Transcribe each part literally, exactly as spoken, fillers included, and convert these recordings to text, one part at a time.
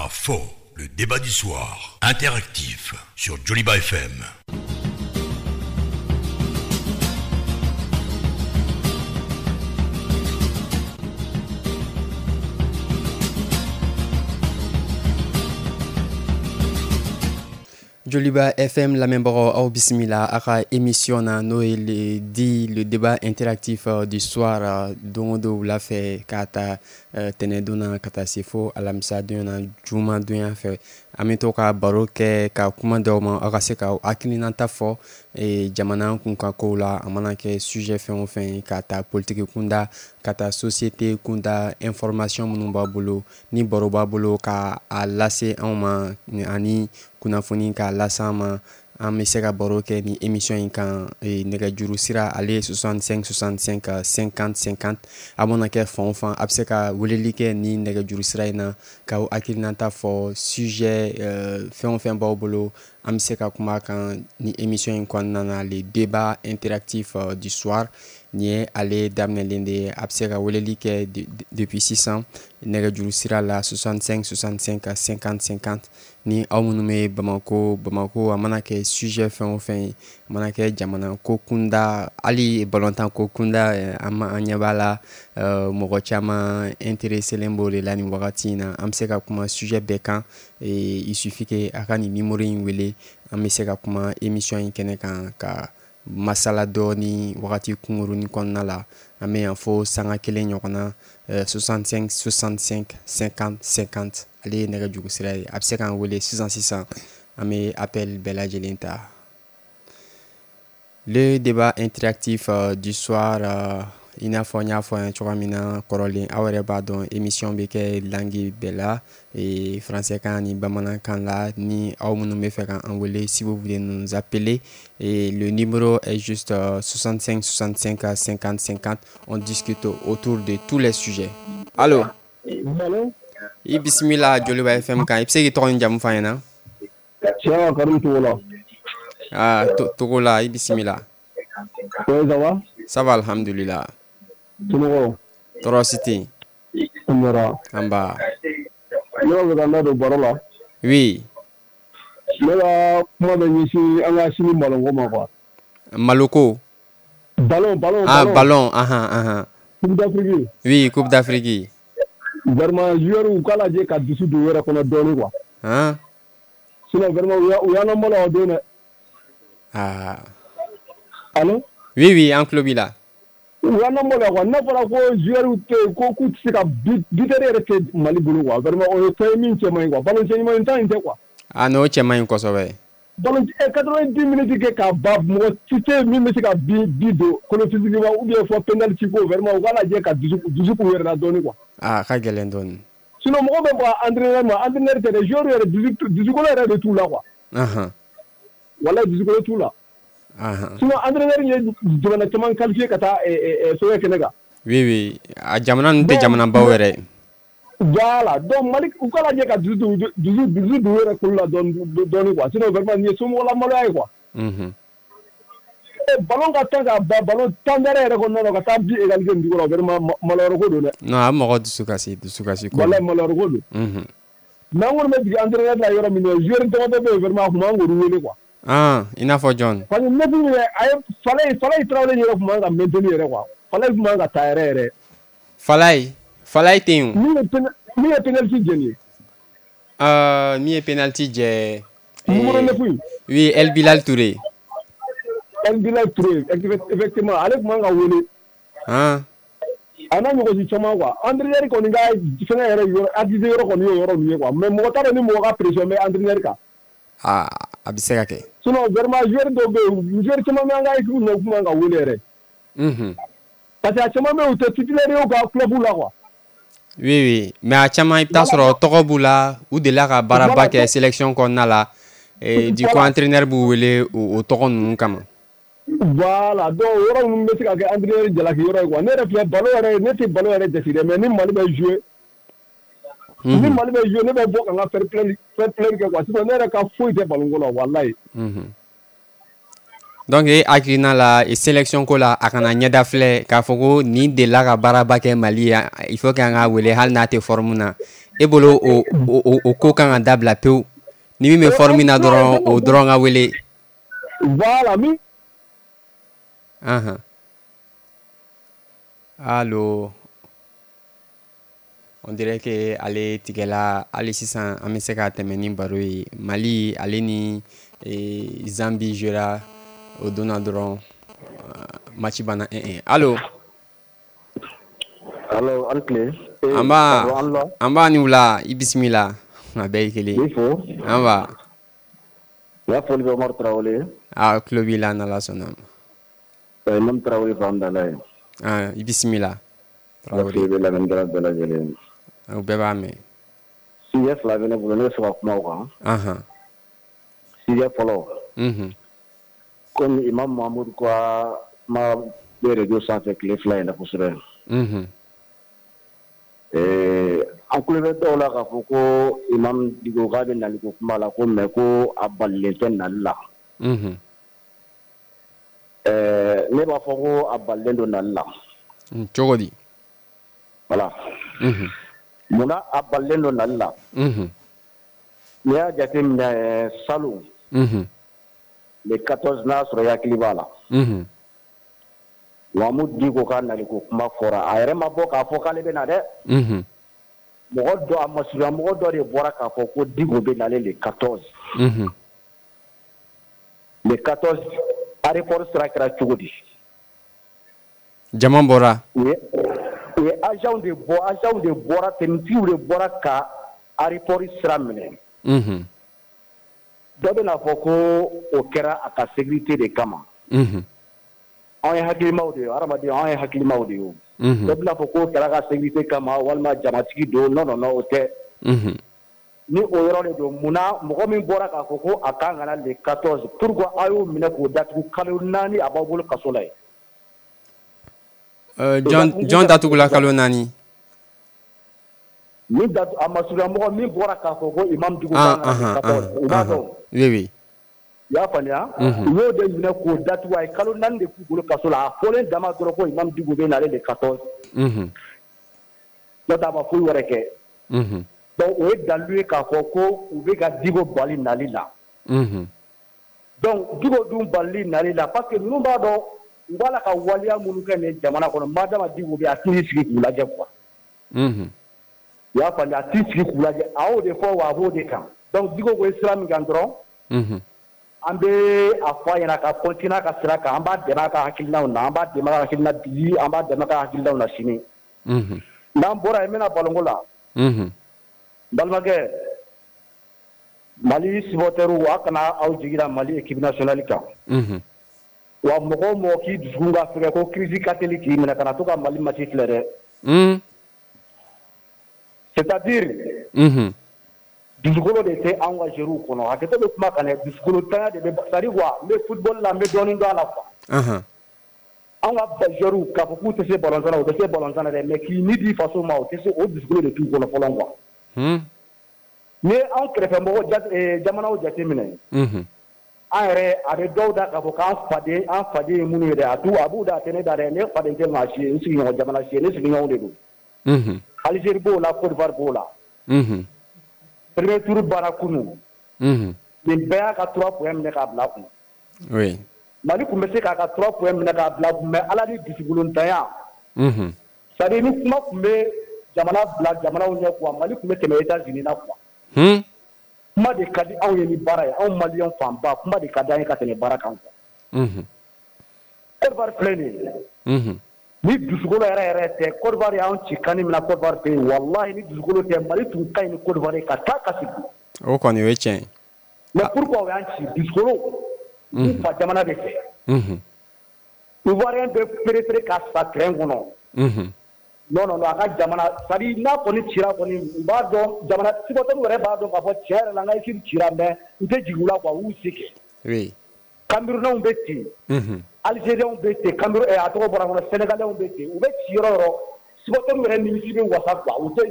K'a fɔ, le débat du soir, interactif sur Joliba F M. Joliba F M lamɛnbagaw, aw bisimila a ka émission na, n'o ye le dit le débat interactif du soir, don o don wula fɛ, k'a ta tɛnɛndon na ka taa se fo alamisa don na, juma donya fɛ. An bɛ to ka baro kɛ, ka kuma d'aw ma, aw ka se ka hakilinata fɔ jamana kunkan kow la. A mana kɛ sujet fɛn o fɛn ye, ka taa politique kunda ka taa société kunda, information minnu b'a bolo ni baro b'a bolo ka a lase anw ma, ani kunnafoni k'a lase an ma, an bɛ se ka baro kɛ ni émission in kan. Nɛgɛjuru sira, ale ye soixante-cinq soixante-cinq cinquante cinquante. A mana kɛ fan o fan, a bɛ se ka weleli kɛ ni nɛgɛjuru sira in na k'aw hakilinata fɔ. Sujet fɛn o fɛn b'aw bolo, an bɛ se ka kuma a kan ni émission in kɔnɔna na. Le débat interactif du soir, nin ye ale daminɛlen de ye. A bɛ se ka weleli kɛ depuis sisan nɛgɛjuru sira la, soixante-cinq soixante-cinq cinquante cinquante. Ni aw minnu bɛ Bamako, Bamako, a mana kɛ sujet fɛn o fɛn ye, a mana kɛ jamana ko kunda, hali balontan ko kunda, an an ɲɛ b'a la, mɔgɔ caman intéressé b'o de la nin wagati in na. An bɛ se ka kuma sujet bɛɛ kan. Il suffit que a ka nin numéro in wele, an bɛ se ka kuma émission in kɛnɛ kan, ka masala dɔɔni wagati kunkurunin kɔnɔna la. An bɛ yan fo sanga kelen ɲɔgɔn na. soixante-cinq soixante-cinq cinquante cinquante, ale ye nɛgɛjuru sira ye. A bɛ se k'an wele sisan sisan, an bɛ appel bɛɛ lajɛlen ta. Le débat interactif du soir, i n'a fɔ n y'a fɔ an ye cogoya min na kɔrɔlen, aw yɛrɛ b'a dɔn, émission bɛ kɛ langue bɛɛ la, français kan ni bamanankan la. Ni aw minnu bɛ fɛ k'an wele, si vous voulez nous appeler, et le numéro est juste soixante-cinq soixante-cinq cinquante cinquante. On discute autour de tous les sujets. Allo? Allo? I bisimila Joliba F M kan. I bɛ se k'i tɔgɔ ni jamu fɔ an ɲɛna? Tiɲɛ, Karim Togola. Ah, Togola, i bisimila. Oui, ça va? Ça va, alhamdulillah. Somɔgɔw? Tɔɔrɔ si tɛ yen. An bɔra. An ba. Ne b'a fɛ ka n da don baro la. Oui. Ne ka kuma bɛ ɲɛsin an ka sini ballon ko ma quoi. Maloko. Ballon, ballon. Ah, ballon, ahan ahan. Coupe d'Afrique. Oui, Coupe d'Afrique. Vraiment, joueurs u k'a lajɛ ka dusu don u yɛrɛ kɔnɔ dɔɔnin quoi. Han? Sinon vraiment, u y'an lamaloya o don dɛ. Ah. Allo? Oui, oui, an tulo b'i la. U y'an lamaloya quoi. N'a fɔra ko joueurs tɛ yen, ko k'u tɛ se ka buteur yɛrɛ tɛ Mali bolo quoi. Vraiment, o ye fɛn ye min cɛ man ɲi quoi. Ballon cɛ ɲuman tan in tɛ quoi. Ah non, o cɛ man ɲi kosɛbɛ. Ballon quatre-vingt-dix minutes kɛ k'a ban, mɔgɔ si tɛ yen min bɛ se ka bi bi don kolo physiquement ou bien fɔ penalty ko. Vraiment, u k'a lajɛ ka dusu dusu k'u yɛrɛ la dɔɔnin quoi. Ah, a ka gɛlɛn dɔɔnin. Sinon mɔgɔ bɛ bɔ entraîneur ma, entraîneur tɛ dɛ, joueur yɛrɛ dusu dusukolo yɛrɛ de t'u la quoi. Ahan. Walahi, dusukolo t'u la. Ahan. Sinon entraîneur ye jamana caman qualifié ka taa fɛngɛ kɛnɛ kan. Oui oui, a jamana ninnu tɛ jamanabaw yɛrɛ. Voilà, donc Mali, u k'a lajɛ ka dusu dusu dusu don u yɛrɛ kolo la dɔɔnin dɔɔnin quoi. Sinon vraiment, nin ye somɔgɔlamaloya ye quoi. Unhun. Ballon ka tan ka ban, ballon tan wɛrɛ yɛrɛ kɔnɔna na, ka taa bi égaliser nin cogo la, vraiment maloyɔrɔ ko don dɛ. Non, a bɛ mɔgɔ dusu kasi, dusu kasi ko. Walahi, maloyɔrɔ ko don. Unhun. Mais an kɔni bɛ jigin entraîneur la yɔrɔ min na, joueur damadɔ bɛ yen, vraiment a tun man k'olu wele quoi. Ah, i n'a fɔ jɔn? Parce que neuf yɛrɛ, a ye Falaye Falaye Tarawele yɛrɛ tun man ka maintenir yɛrɛ quoi. Falaye tun man ka taa yɛrɛ yɛrɛ. Falaye Falaye tɛ yen o. Min ye min ye penalty jɛ nin ye. Euh, min ye penalty jɛ. Numéro neuf in. Oui, El Bilal Touré. El Bilal Touré, effectivement, ale tun man ka wele. Ah. A n'a ɲɔgɔnsi caman quoi. Entraîneur kɔni ka fɛngɛ yɛrɛ yɔrɔ accuser yɔrɔ kɔni y'o yɔrɔ ninnu ye quoi. Mais mɔgɔ t'a dɔn ni mɔgɔ ka pression bɛ entraîneur kan. Ah, a bɛ se ka kɛ. Sinon vraiment, joueur dɔw bɛ yen, joueur caman bɛ an ka équipe na, u tun man ka wele yɛrɛ. Unhun. Parce que a caman bɛ yen, u tɛ titulaire ye u ka club la quoi. Oui oui, mais a caman, i bɛ taa sɔrɔ tɔgɔ b'u la, u delila ka baaraba kɛ sélection kɔnɔna la. Et du coup, entraîneur b'u wele o tɔgɔ ninnu kama. Voilà, donc yɔrɔ ninnu bɛ se ka kɛ entraîneur jalaki yɔrɔ ye quoi. Ne yɛrɛ filɛ, ballon yɛrɛ, ne tɛ ballon yɛrɛ jate dɛ, mais ni Mali bɛ jouer, ni Mali bɛ jouer, ne bɛ bɔ ka n ka fair play fair play kɛ quoi. Sinon ne yɛrɛ ka foyi tɛ ballon ko la, walahi. Unhun. Donc e hakilina la sélection ko la, a kana ɲɛda filɛ k'a fɔ ko nin delila ka baaraba kɛ Mali ye, il faut que an k'a wele hali n'a tɛ forme na. E bolo o o o ko kan ka dabila pewu, ni min bɛ forme na dɔrɔn, o dɔrɔn ka wele. Voilà min. Ahan, allo, on dirait que ale tigɛla. Hali sisan an bɛ se ka tɛmɛ ni baro ye. Mali ale ni Zambie jouera o donna dɔrɔn, match banna un un. Allo. Allo, an tile. An b'a an b'a ni wula, i bisimila, a bɛɛ ye kelen. I fo. An b'a. N ka foli bɛ Umaru Tarawele. A tulo b'i la, n'Ala sɔnna ma. Imam Tarawele Famdala ye. Ah, i bisimila. Tarawele. N ka foli bɛ lamɛnnikɛla bɛɛ lajɛlen. U bɛɛ b'a mɛn. Sujet fila bɛ ne bolo, ne bɛ fɛ ka kuma o kan. Anhan. Sujet fɔlɔ. Unhun. Komi Imam Mahamudu ka kuma bɛ réseau sanfɛ tile fila in na kosɛbɛ. Unhun. Ɛɛ an tulo bɛ dɔw la k'a fɔ ko Imam Dicko k'a bɛ naliko kuma la ko mais ko a balilen tɛ nali la. Unhun. Ɛɛ ne b'a fɔ ko a balilen don nali la. Cogo di? Voilà. Unhun. Munna a balilen don nali la? Unhun. N'i y'a jateminɛ salon. Unhun. Le quatorze, n'a sɔrɔ i hakili b'a la. Unhun. Mahamudu Dicko ka naliko kuma fɔra, a yɛrɛ ma bɔ k'a fɔ k'ale bɛ na dɛ. Unhun. Mɔgɔ dɔ, a masurunya mɔgɔ dɔ de bɔra k'a fɔ ko Dicko bɛ nalen le quatorze. Unhun. Le quatorze, aéroport sira kɛra cogo di? Jama bɔra. U ye u ye agent de bɔ, agent de bɔra, tenue de bɔra ka aéroport sira minɛ. Unhun. Dɔ bɛna fɔ ko o kɛra a ka sécurité de kama. Unhun. Anw ye hakilimaw de ye, hadamaden, anw ye hakilimaw de ye o. Unhun. Dɔ bɛna fɔ k'o kɛra ka sécurité kama walima jamatigi don. Non, non, non, o tɛ. Unhun. Ni o yɔrɔ de don, munna mɔgɔ min bɔra k'a fɔ ko a kan ka na le quatorze, pourquoi a y'o minɛ k'o datugu kalo naani, a b'aw bolo kaso la yen? Jɔn jɔn datugula kalo naani? Min datu, a masurunya mɔgɔ min bɔra k'a fɔ ko Imam Dicko kan ka na le quatorze, u b'a dɔn. Oui, oui. I y'a faamuya? U y'o de minɛ k'o datugu, a ye kalo naani de k'u bolo kaso la, a fɔlen dama dɔrɔn ko Imam Dicko bɛ nalen le quatorze. Unhun. N'o tɛ, a ma foyi wɛrɛ kɛ. Unhun. Donc o ye dalilu ye k'a fɔ ko u bɛ ka Dicko bali nali la. Unhun. Donc Dicko dun balili nali la, parce que ninnu b'a dɔn u b'a la ka waleya minnu kɛ nin jamana kɔnɔ, madama Dicko bɛ yen, a t'i sigi k'u lajɛ quoi. Unhun. I y'a faamuya, a t'i sigi k'u lajɛ, a y'o de fɔ wa a b'o de kan. Donc Dicko ko ye sira min kan dɔrɔn. Unhun. An bɛ a fɔ a ɲɛna ka continuer a ka sira kan, an b'a dɛmɛ a ka hakilinaw na, an b'a dɛmɛ a ka hakilina bi, an b'a dɛmɛ a ka hakilinaw na sini. Unhun. N'an bɔra yen, n bɛna balonko la. Unhun. N balimakɛ, Mali supporters, a kana aw jigi da Mali équipe nationale kan. Unhun. Wa mɔgɔ o mɔgɔ k'i dusukun ka fɛgɛn ko crise ka teli k'i minɛ, kana to ka Mali match filɛ dɛ. Un. C'est-à-dire. Unhun. Dusukolo de tɛ anw ka joueurs kɔnɔ, hakɛto bɛ kuma kan dɛ, dusukolo tanya de bɛ, c'est à dire quoi, n bɛ football la, n bɛ dɔɔnin dɔn a la quoi. Anhan. Anw ka joueurs, k'a fɔ k'u tɛ se ballon na, u tɛ se ballon na dɛ, mais k'i ni di faso ma, u tɛ se, o dusukolo de t'u kɔnɔ fɔlɔ quoi. Un. N'i ye anw kɛrɛfɛmɔgɔ jamanaw jateminɛ. Unhun. An yɛrɛ, a bɛ dɔw da k'a fɔ k'an faden, an faden ye minnu ye dɛ, a t'u, a b'u da, a tɛ ne da dɛ, ne faden tɛ maa si ye, n sigiɲɔgɔn jamana si ye, ne sigiɲɔgɔnw de don. Unhun. Algérie b'o la, Côte d'Ivoire b'o la. Unhun. Premier tour banna kunun. Unhun. Nin bɛɛ y'a ka trois points minɛ k'a bila kun. Oui. Mali tun bɛ se k'a ka trois points minɛ k'a bila kun, mais Ala ni dusukulontanya. Unhun. C'est à dire ni kuma tun bɛ jamana bila jamanaw ɲɛ quoi, Mali tun bɛ tɛmɛ États-Unis na quoi. Hmm. Kuma de ka di anw ye ni baara ye, anw maliyɛn fanba, kuma de ka di an ye ka tɛmɛ baara kan quoi. Unhun. Côte d'Ivoire filɛ nin ye. Unhun. Ni dusukolo yɛrɛ yɛrɛ tɛ, Côte d'Ivoire y'anw ci kan min na Côte d'Ivoire fɛ yen, walahi ni dusukolo tɛ, Mali tun ka ɲi ni Côte d'Ivoire ye ka taa ka segin. O kɔni o ye tiɲɛ ye. Mais pourquoi o y'an ci? Dusukolo. U fa jamana de fɛ. Unhun. Ivoirien bɛ préféré ka sa terrain kɔnɔ. Unhun. Non, non, non, a ka jamana, c'est à dire n'a kɔni cira kɔni, u b'a dɔn, jamana supporters yɛrɛ b'a dɔn k'a fɔ tiɲɛ yɛrɛ la n ka équipe cira, mais n tɛ jigin u la quoi, u y'u se kɛ. Oui. Camerounais bɛ ten. Unhun. Algériens bɛ ten, Cameroun, a tɔgɔ bɔra n kɔnɔ, Sénégalais bɛ ten, u bɛ ci yɔrɔ o yɔrɔ, supporters yɛrɛ nimisi bɛ wasa quoi, u tɛ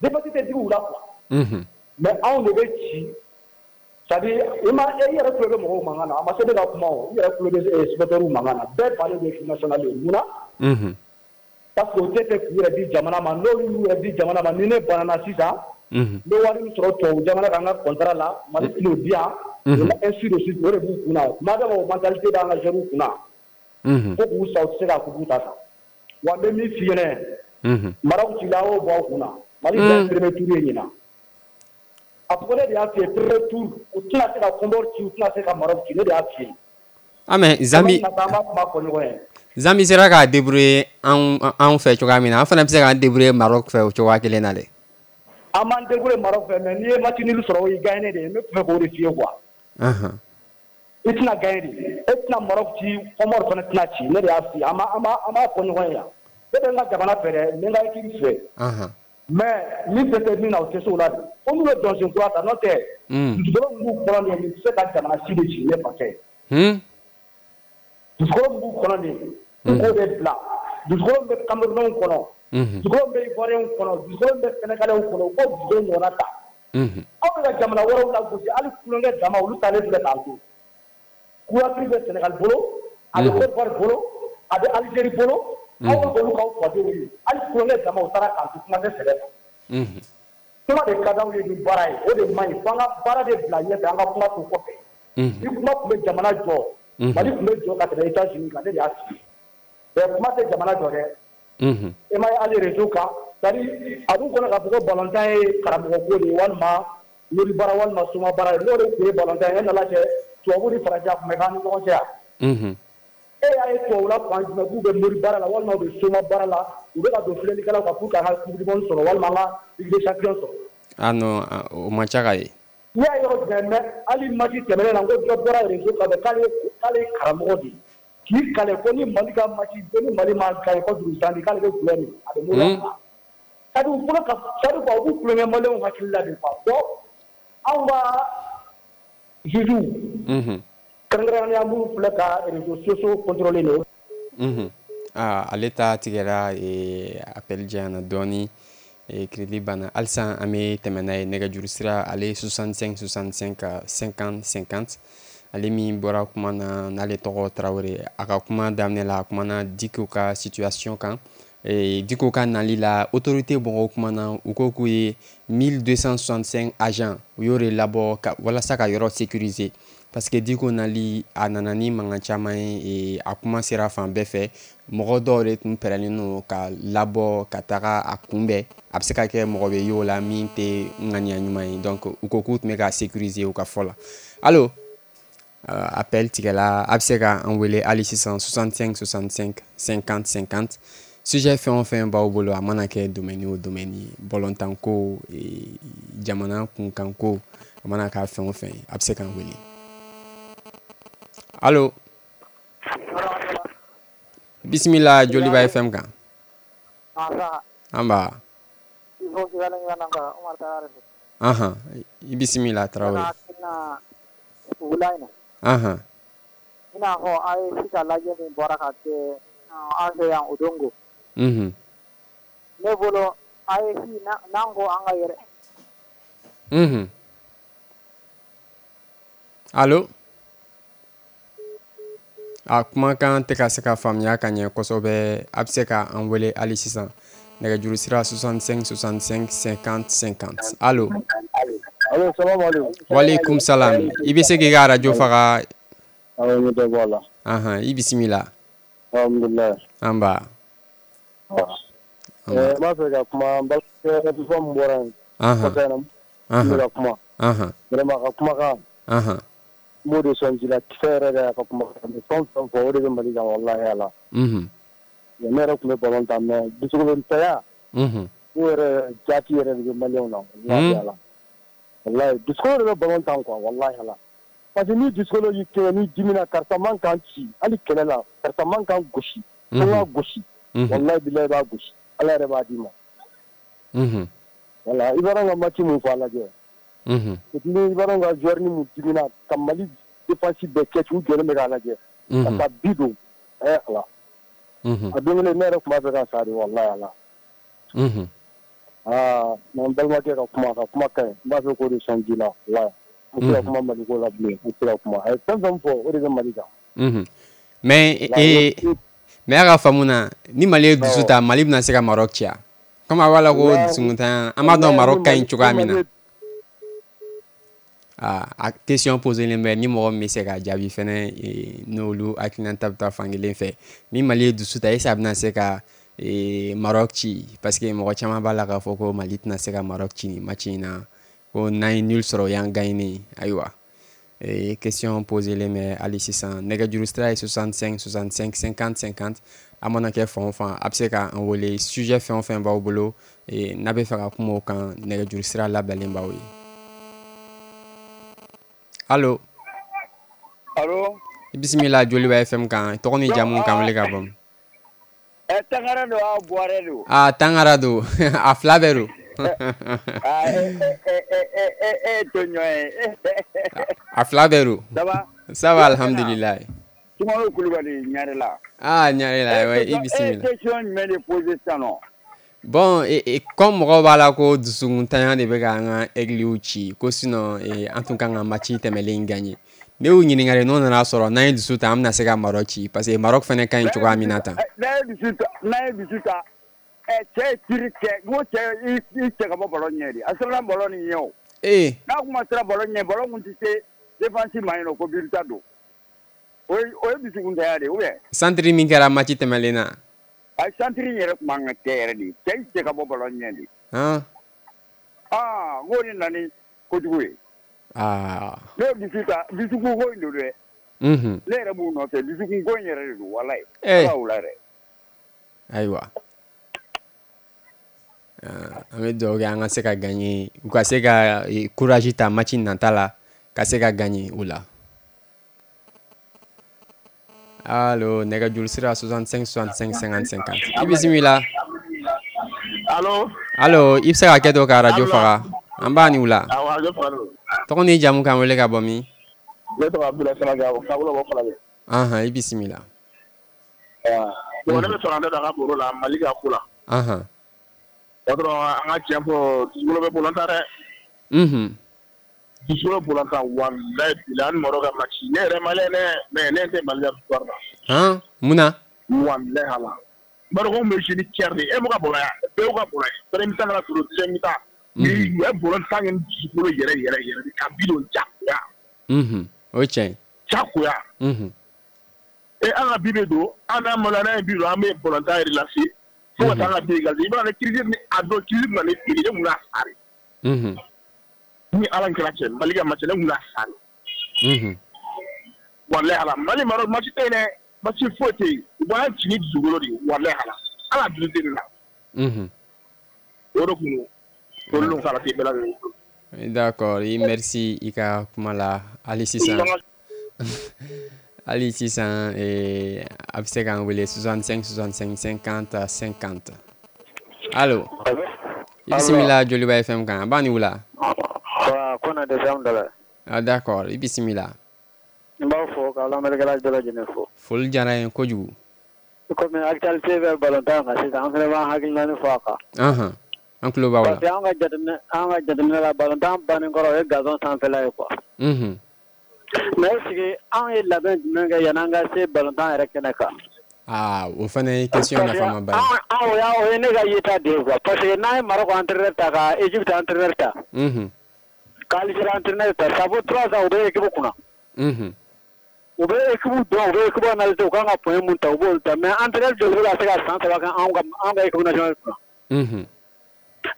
défaite tɛ digi u la quoi. Unhun. Mais anw de bɛ ci C'est-à-dire i ma e yɛrɛ tulo bɛ mɔgɔw mankan na, a ma se ne ka kuma o, i yɛrɛ tulo bɛ supporters mankan na, bɛɛ bannen don équipe nationale ye. Mun na? Parce que u tɛ fɛ k'u yɛrɛ di jamana ma. N'olu y'u yɛrɛ di jamana ma, ni ne banana sisan, n bɛ wari min sɔrɔ tubabu jamana kan n ka contrat la, Mali tɛn'o di yan, ainsi de suite. O de b'u kunna. Tuma dɔ la, o mentalité b'an ka jeunes kunna. Fo k'u sa, u tɛ se k'a coupe ta. Wa n bɛ min f'i ɲɛna, Maroc cila, a y'o bɔ aw kunna. Mali bɛɛ ye premier tour ye ɲinan. A fɔ ne de y'a f'i ye, premier tour, u tɛna se ka Comore ci, u tɛna se ka Maroc ci, ne de y'a f'i ye. Ah mais Zambi, an b'a kuma fɔ ɲɔgɔn ye. Zambi sera k'a débrouiller anw anw fɛ cogoya min na, an fana bɛ se k'an débrouiller Maroc fɛ o cogoya kelen na dɛ. An b'an débrouiller Maroc fɛ, mais n'i ye match nul sɔrɔ, o y'i gagné de ye. Ne tun fɛ k'o de f'i ye quoi. I tɛna gagné de, e tɛna Maroc ci, Comore fana tɛna ci, ne de y'a f'i ye. An b'a an b'a an b'a fɔ ɲɔgɔn ye yan. Ne bɛ n ka jamana fɛ dɛ, n bɛ n ka équipe fɛ. Mais min tɛ se min na, o tɛ se o la de. Fo n'u ye dɔnsen kura ta, n'o tɛ dusukolo min b'u kɔnɔ nin ye, nin tɛ se ka jamana si de ci, ne fakɛ. Dusukolo min b'u kɔnɔ nin ye, u k'o de bila. Dusukolo min bɛ Camerounais kɔnɔ, dusukolo min bɛ Ivoiriens kɔnɔ, dusukolo min bɛ Sénégalais kɔnɔ, u k'o dusukolo ɲɔgɔnna ta. Aw bɛ ka jamana wɛrɛw lagosi, hali tulonkɛ dama, olu talen filɛ k'an to. Couverture bɛ Sénégal bolo, a bɛ Côte d'Ivoire bolo, a bɛ Algérie bolo. Aw bɛ olu k'aw fadenw ye, hali tulonkɛ dama, u taara k'an to, kuma tɛ sɛbɛ ma. Kuma de ka d'anw ye ni baara ye, o de man ɲi. Fo an ka baara de bila ɲɛfɛ, an ka kuma to kɔfɛ. Ni kuma tun bɛ jamana jɔ, Mali tun bɛ jɔ ka tɛmɛ États-Unis kan, ne de y'a f'i ye. Mais kuma tɛ jamana jɔ dɛ. E ma ye hali réseau kan, c'est-à-dire a b'u kɔnɔ k'a fɔ ko balontan ye karamɔgɔ ko de ye, walima mori baara, walima soma baara ye. N'o de tun ye balontan ye, e nana kɛ tubabu ni farajɛ a tun bɛ k'an ni ɲɔgɔn cɛ yan. E y'a ye tubabula fan jumɛn k'u bɛ mori baara la, walima u bɛ soma baara la, u bɛ ka don filɛlikɛlaw kan pour que an ka coupe du monde sɔrɔ, walima an ka Ligue des champions sɔrɔ? Ah non, o man ca ka ye. N'i y'a yɔrɔ jumɛn mɛ, hali match tɛmɛnen na, n ko dɔ bɔra réseau kan k'ale k'ale ye karamɔgɔ de ye, k'i kale ko ni Mali ka match, ko ni Mali ma gagné contre Zambie, k'ale bɛ gulɔ min, a bɛ moriya faga. C'est-à-dire u bolo ka, c'est-à-dire quoi, u b'u tulonkɛ maliyɛnw hakili la de quoi. Bon, anw ka juges, kɛrɛnkɛrɛnnenya minnu filɛ ka réseaux sociaux contrôler nin. Ah, ale ta tigɛra, appel janyana dɔɔni, crédit banna. Halisa an bɛ tɛmɛ n'a ye. Nɛgɛjuru sira ale soixante-cinq soixante-cinq cinquante cinquante. Ale min bɔra kuma na, n'ale tɔgɔ Tarawele, a ka kuma daminɛ la, a kumana Diko ka situation kan. Diko ka nali la, autorité mɔgɔw kumana, u ko k'u ye mille deux cent soixante-cinq agents, u y'o de labɔ ka walasa ka yɔrɔ sécuriser, parce que Diko nali, a nana ni mankan caman ye, a kuma sera fan bɛɛ fɛ. Mɔgɔ dɔw de tun pɛrɛnnen don ka labɔ ka taga a kunbɛn, a bɛ se ka kɛ mɔgɔ bɛ y'o la min tɛ ŋaniya ɲuman ye. Donc u ko k'u tun bɛ ka sécuriser u ka fɔ la. Allo, appel tigɛla. A bɛ se ka an wele hali sisan soixante-cinq soixante-cinq cinquante cinquante. Sujet fɛn o fɛn b'aw bolo, a mana kɛ domaine o domaine ye, balontan ko, jamana kunkan ko, a mana k'a fɛn o fɛn ye, a bɛ se k'an wele. Allo, bisimila Joliba F M kan. An ba. Ahan, i bisimila Tarawele. Ahan. I n'a fɔ a ye sisan lajɛ min bɔra ka kɛ an fɛ yan o don ko. Mhm. Ne bolo A E S n'an ko an ka yɛrɛ. Mhm. Allo. A kumakan tɛ ka se ka faamuya ka ɲɛ kosɛbɛ. A bɛ se ka an wele hali sisan, nɛgɛjuru sira soixante-cinq soixante-cinq cinquante cinquante. Allo. Allo, salam aleykum. Waaleykum salam. I bɛ se k'i ka arajo faga? Awɔ, n bɛ dɔ bɔ a la. Ahan, i bisimila. Alhamdulilayi. An ba. N b'a fɛ ka kuma n balimakɛ min bɔra yen. Ahan. Kɔfɛ n bɛ ka kuma. Ahan. Vraiment a ka kumakan. Ahan. N b'o de sɔn ji la kisɛ yɛrɛ de y'a ka kumakan. A bɛ fɛn o fɛn fɔ, o de bɛ Mali kan walahi ala. Unhun. Ne yɛrɛ tun bɛ balon tan, mais dusukolon-tanya. Unhun. O yɛrɛ jaati yɛrɛ de bɛ maliyɛnw na walahi ala. Walahi dusukolo de bɛ balon tan quoi walahi ala. Parce que ni dusukolo y'i kɛɲɛ, n'i dimina, karisa man kan ci hali kɛlɛ la, karisa man kan gosi. Fo n ka gosi. Walahi bilahi i b'a gosi. Ala yɛrɛ b'a d'i ma. Unhun. Voilà, i b'a dɔn ka match mun fɔ a lajɛ. Unhun. Ni i b'a dɔn ka joueur ni mun dimina ka Mali défense bɛɛ kɛ u jɔlen bɛ k'a lajɛ. Ka taa bi don. Ɛ Ala. Unhun. A don kelen ne yɛrɛ tun b'a fɛ ka sa de walahi ala. Unhun. Aa, n balimakɛ ka kuma, ka kuma ka ɲi. N b'a fɛ k'o de sɔn ji la walahi. N tɛ se ka kuma Mali ko la bilen, n tɛ se ka kuma. A ye fɛn fɛn fɔ, o de bɛ Mali kan. Mais ee mais a ka faamu na, ni Mali ye dusu ta, Mali bɛna se ka Maroc ci wa? Comme a b'a la ko dusukuntanya, an b'a dɔn Maroc ka ɲi cogoya min na. Ah, a question posée len bɛ, ni mɔgɔ min bɛ se ka jaabi fɛnɛ, n'olu hakilinata bɛ taa fankelen fɛ. Ni Mali ye dusu ta, est ce que a bɛna se ka Maroc ci? Parce que mɔgɔ caman b'a la k'a fɔ ko Mali tɛna se ka Maroc ci nin match in na, ko n'an ye nul sɔrɔ, o y'an gagné. Ayiwa, question posée len bɛ hali sisan. Nɛgɛjuru sira ye soixante-cinq soixante-cinq cinquante cinquante. A mana kɛ fan o fan, a bɛ se ka an wele. Sujet fɛn o fɛn b'aw bolo, n'a bɛ fɛ ka kuma o kan, nɛgɛjuru sira labilalen b'aw ye. Allo. Allo. I bisimila Joliba F M kan. Tɔgɔ ni jamu, k'an wele ka bɔ? Ɛ, Tangara don wa, Buwarɛ don? Ah, Tangara don. A fila bɛɛ don. Ah, e e e e e to ɲɔgɔn ye. A fila bɛɛ don. Ça va? Ça va, alhamdulilayi. Sumaworo Kulubali, Ɲarela. Ah, Ɲarela, ouais, i bisimila. E question jumɛn de posé sisan nɔ? Bon, et, et comme mɔgɔw b'a la ko dusukuntanya de bɛ k'an ka aigles ci, ko sinon an tun kan ka match tɛmɛlen gagner. Ne y'u ɲininka de, n'o nana sɔrɔ n'an ye dusu ta, an bɛna se ka Maroc ci, parce que Maroc fana ka ɲi cogoya min na tan. N'a ye dusu ta, n'a ye dusu ta, ɛ cɛ ye tir kɛ, n ko cɛ i cɛ ka bɔ ballon ɲɛ de, a siranna ballon nin ɲɛ o. Ee. N'a kun ma siran ballon ɲɛ, ballon kun tɛ se défense ma yen nɔ ko but ta don. O ye o ye dusukuntanya de ye ou bien? Centre min kɛra match tɛmɛlen na. A centre in yɛrɛ tun man ka kɛ yɛrɛ de, cɛ i cɛ ka bɔ ballon ɲɛ de. Han. Aa, n k'o de nana ni kojugu ye. Aa. Ne ye dusu ta, dusukun ko in don dɛ. Unhun. Ne yɛrɛ b'u nɔfɛ, dusukun ko in yɛrɛ de don, walayi. Ee. Ala o la dɛ. Ayiwa. An bɛ dugawu kɛ an ka se ka gagner, u ka se ka courage ta match nata la, ka se ka gagner o la. Allo, nɛgɛjuru sira soixante-cinq soixante-cinq cinquante cinquante. I bisimila. Allo. Allo, i bɛ se ka kɛ to ka radio faga. An b'a ni wula. Awɔ, radio faga don. Tɔgɔ ni jamu, k'an wele ka bɔ min? Ne tɔgɔ Abdoulaye Samaga, ka wele bɔ Falajɛ. Anhan, i bisimila. Bon, ne bɛ fɛ ka n da don a ka baro la, Mali ka ko la. Anhan. O dɔrɔn, an ka tiɲɛ fɔ, dusukolo bɛ ballon tan dɛ. Unhun. Dusukolo ballon tan, walayi bilahi, an ni Maroc ka match, ne yɛrɛ malien dɛ, mais ne tɛ Mali ka victoire la. Han, mun na? Walayi ala. Maroc bɛ jouer ni cœur de ye, e m'u ka ballon ye, bɛɛ y'u ka ballon ye. Premier mi-temps kɛra trop, deuxième mi-temps. U ye ballon tan kɛ ni dusukolo yɛrɛ yɛrɛ yɛrɛ de ka bi don jagoya. Unhun, o ye tiɲɛ ye. Jagoya. Unhun. E an ka bi bɛ don, an n'an maloya, n'an ye bi don, an bɛ ballon tan relancer. Fo ka taa an ka bi égaliser. I b'a dɔn crise ni a don crise bɛna ne fili, ne kun bɛna sa de. Unhun. Ni Ala kɛra cɛ, Mali ka match, ne kun bɛna sa de. Unhun. Walayi ala, Mali Maroc match tɛ yen dɛ, match foyi tɛ yen. U b'an ci ni dusukolo de ye, walayi ala. Ala dusu tɛ ne la. Unhun. O de kun don. Olu k'ala tɛ bɛɛ lajɛlen. D'accord, i merci i ka kuma la. Hali sisan. Hali sisan, a bɛ se k'an wele soixante-cinq soixante-cinq cinquante cinquante. Allo. I bisimila Joliba F M kan. An b'a ni wula. Kona de Samdala. Ah, d'accord, i bisimila. N b'aw fo k'aw lamɛnnikɛla bɛɛ lajɛlen fo. Foli diyara n ye kojugu. Komi actualité bɛ ballon tan kan sisan, an fana b'an hakilina fɔ a kan. Anhan, an tulo b'aw la. Parce que an ka jateminɛ an ka jateminɛ la, ballon tan bannen kɔrɔ, o ye gazon sanfɛla ye quoi. Unhun. Mais est ce que anw ye labɛn jumɛn kɛ yan'an ka se ballon tan yɛrɛ kɛnɛ kan? Ah, o fana ye question nafama ba ye. An o y'a o ye ne ka yeta de ye quoi. Parce que n'an ye Maroc entraîneur ta, ka Égypte entraîneur ta. Unhun. Ka Algérie entraîneur ta, ça vaut trois ans u bɛ équipe kunna. Unhun. U bɛ équipe dɔn, u bɛ équipe analyser, u kan ka point mun ta, u b'olu ta. Mais entraîneur joli bɛ ka se ka san saba kɛ anw ka anw ka équipe nationale kunna? Unhun.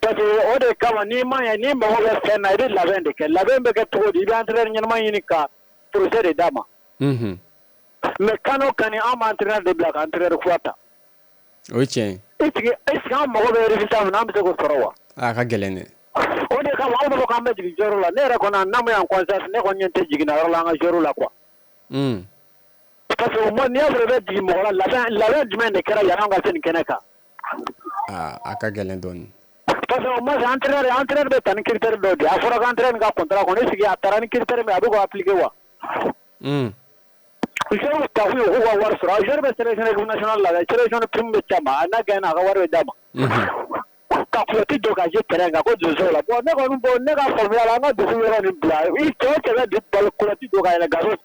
Parce que o de kama, n'i ma ɲɛ, n'i mago bɛ fɛn na, i bɛ labɛn de kɛ. Labɛn bɛ kɛ cogo di? I bɛ entraîneur ɲɛnama ɲini ka projet de d'a ma. Unhun. Mais kan o kan, an b'an entraîneur de bila ka entraîneur kura ta. O ye tiɲɛ ye. Est ce que est ce que an mago bɛ résultat min na, an bɛ se k'o sɔrɔ wa? A ka gɛlɛn dɛ. O de kama anw b'a fɔ k'an bɛ jigin joueur la. Ne yɛrɛ kɔni, n'a ma y'an conscience, ne kɔni ɲɛ tɛ jiginna yɔrɔ la an ka joueur la quoi. Un. Parce que au moins n'i y'a sɔrɔ i bɛ jigin mɔgɔ la, labɛn labɛn jumɛn de kɛra yan'an ka se nin kɛnɛ kan? Aa, a ka gɛlɛn dɔɔnin. Parce que au moins entraîneur entraîneur bɛ ta ni critère dɔ de ye. A fɔra ko entraîneur ka contrat kɔnɔ, est ce que a taara ni critère min ye, a bɛ k'o appliquer wa? Un. Joueur ta kun ye k'u ka wari sɔrɔ. Joueur bɛ sélectionner équipe nationale la, sélection prime bɛ c'a ma, n'a gagné a ka wari bɛ d'a ma. Unhun. Ka ka kuloti don ka jouer terrain kan ko donso la. Bon ne kɔni bon ne ka faamuya la an ka dusu yɔrɔ nin bila i cɛ o cɛ bɛ kuloti don ka yɛlɛ gazon.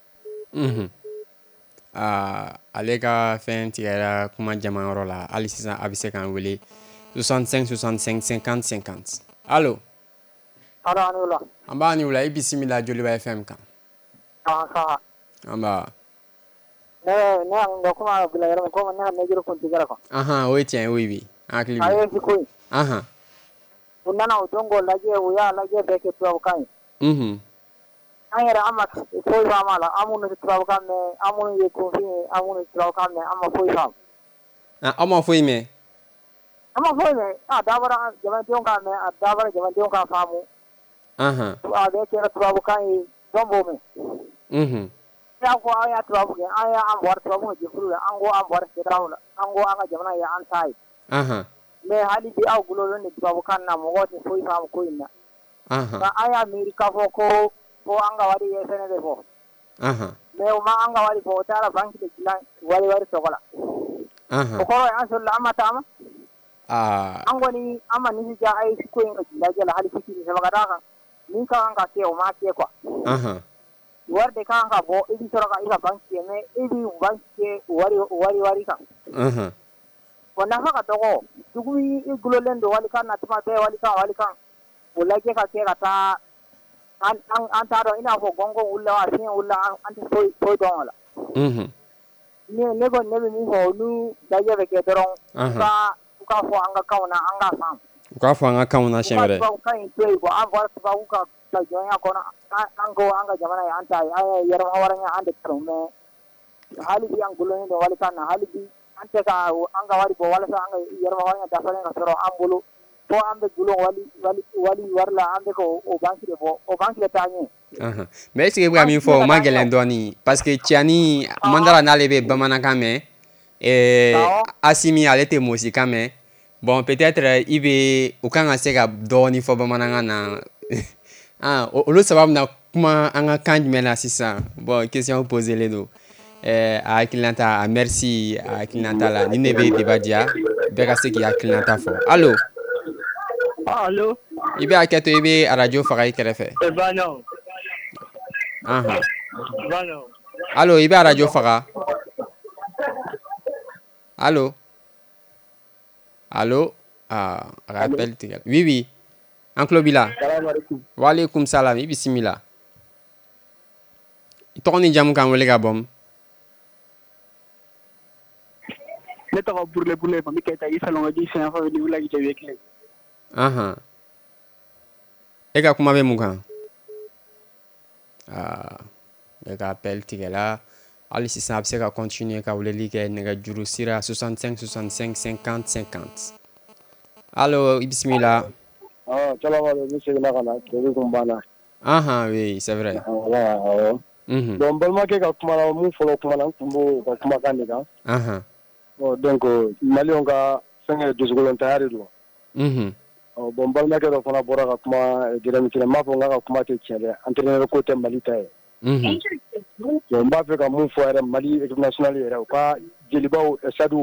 Unhun. Aa ale ka fɛn tigɛra kuma jamayɔrɔ la hali sisan a bɛ se k'an wele soixante-cinq soixante-cinq cinquante cinquante. Allo. Allo a ni wula. An b'a ni wula i bisimila Joliba F M kan. An An b'a. Ne ne y'an kuma bila yɔrɔ min komi ne ka nɛgɛjuru kun tigɛra quoi. Ahan o ye tiɲɛ ye oui oui an hakili b'i la. A ye ko in. Ahan. U nana o don k'o lajɛ u y'a lajɛ bɛɛ kɛ tubabukan ye. Unhun. An yɛrɛ an ma foyi faamu a la an minnu tɛ tubabukan mɛn an minnu ye kunfin ye an minnu tɛ tubabukan mɛn an ma foyi faamu. Ah aw ma foyi mɛn. An ma foyi mɛn a dabɔra jamanadenw k'a mɛn a dabɔra jamanadenw k'a faamu. Ahan. A bɛɛ kɛra tubabukan ye jɔn b'o mɛn. Unhun. N'a ko an y'a tubabu kɛ an y'an bɔra tubabu ka jɛkulu la an ko an bɔra CEDEAO la an ko an ka jamana ye an ta ye. Ahan. Mais hali bi aw gulonlen don tubabukan na mɔgɔw tɛ foyi faamu ko in na. Ahan. Nka an y'a miiri k'a fɔ ko ko an ka wari ye fɛnɛ de bɔ. Ahan. Mais u ma an ka wari bɔ u taara banque de dilan wari wari tɔgɔ la. Ahan. O kɔrɔ ye an sɔrɔla an ma taama. Aa. An kɔni an ma nisɔndiya A E S ko in ka lajɛ la hali fitinin saba ka d'a kan min ka kan ka kɛ o ma kɛ quoi. Ahan. Wari de kan ka bɔ i bɛ sɔrɔ ka i ka banque kɛ mais i bɛ banque kɛ wari wari wari kan. Ahan. O nafa ka dɔgɔ dugu i gulonlen don walikan na tuma bɛɛ walikan walikan o lajɛ ka kɛ ka taa an an an t'a dɔn i n'a fɔ gɔngɔn wulila wa fiɲɛ wulila an an tɛ foyi foyi dɔn o la. Unhun. Ne ne kɔni ne bɛ min fɔ olu lajɛ bɛ kɛ dɔrɔn u ka u k'a fɔ an ka kanw na an k'a faamu. U k'a fɔ an ka kanw na siɲɛ wɛrɛ. U ka tubabukan in to yen quoi an bɔra tubabu ka ka jɔnya kɔnɔ an an ko an ka jamana ye an ta ye an ye yɛrɛmahɔrɔnya an de ta don mais hali bi an gulonlen don walikan na hali bi an tɛ ka an ka wari bɔ walasa an ka yɛrɛmahɔrɔnya dafalen ka sɔrɔ an bolo fo an bɛ gulon wali wali wali wari la an bɛ ka o banque de bɔ o banque de taa ɲɛ. Ahan. Mais est ce que i bɛ ka min fɔ o ma gɛlɛn dɔɔni parce que Tiani Mandara n'ale bɛ bamanankan mɛn ɛɛ Asimi ale tɛ mosikan mɛn bon peut-être i bɛ u kan ka se ka dɔɔni fɔ bamanankan na ah olu saba bɛna kuma an ka kan jumɛn na sisan bon question posée len don ɛɛ a hakilinata a merci a hakilinata la nin de bɛ débat diya bɛɛ ka se k'i hakilinata fɔ allo. Allo. I bɛ hakɛ to i bɛ arajo faga i kɛrɛfɛ. Bano. Ahan. Bano. Allo i bɛ arajo faga. Allo. Allo. Ah a ka appel tigɛra. Oui oui. An tulo b'i la. Waaleykum salam i bisimila. I tɔgɔ ni jamu k'an wele ka bɔ min? Ne tɔgɔ Burule Burule Mami Keyita i Salɔngɔji Sɛnɛfɔ ni wula jɛ kelen. Ahan. E ka kuma bɛ mun kan? Aa ne ka appel tigɛla hali sisan a bɛ se ka continuer ka weleli kɛ nɛgɛjuru sira soixante-cinq soixante-cinq cinquante cinquante. Allo i bisimila. Ah salaamaaleykum n seginna ka na tile kun banna. Ahan oui c'est vrai. Voilà awɔ. Unhun. Donc n balimakɛ ka kuma la mun fɔlɔ kuma la n tun b'o ka kumakan de kan. Ahan. Bon donc maliyɛnw ka fɛnkɛ dusukolontanya de don. Unhun. Ɔ bon n balimakɛ dɔ fana bɔra ka kuma Jérémy Tiré n m'a fɔ n k'a ka kuma tɛ tiɲɛ dɛ entraîneur ko tɛ Mali ta ye. Unhun. Donc n b'a fɛ ka mun fɔ yɛrɛ Mali équipe nationale yɛrɛ u ka jelibaw stade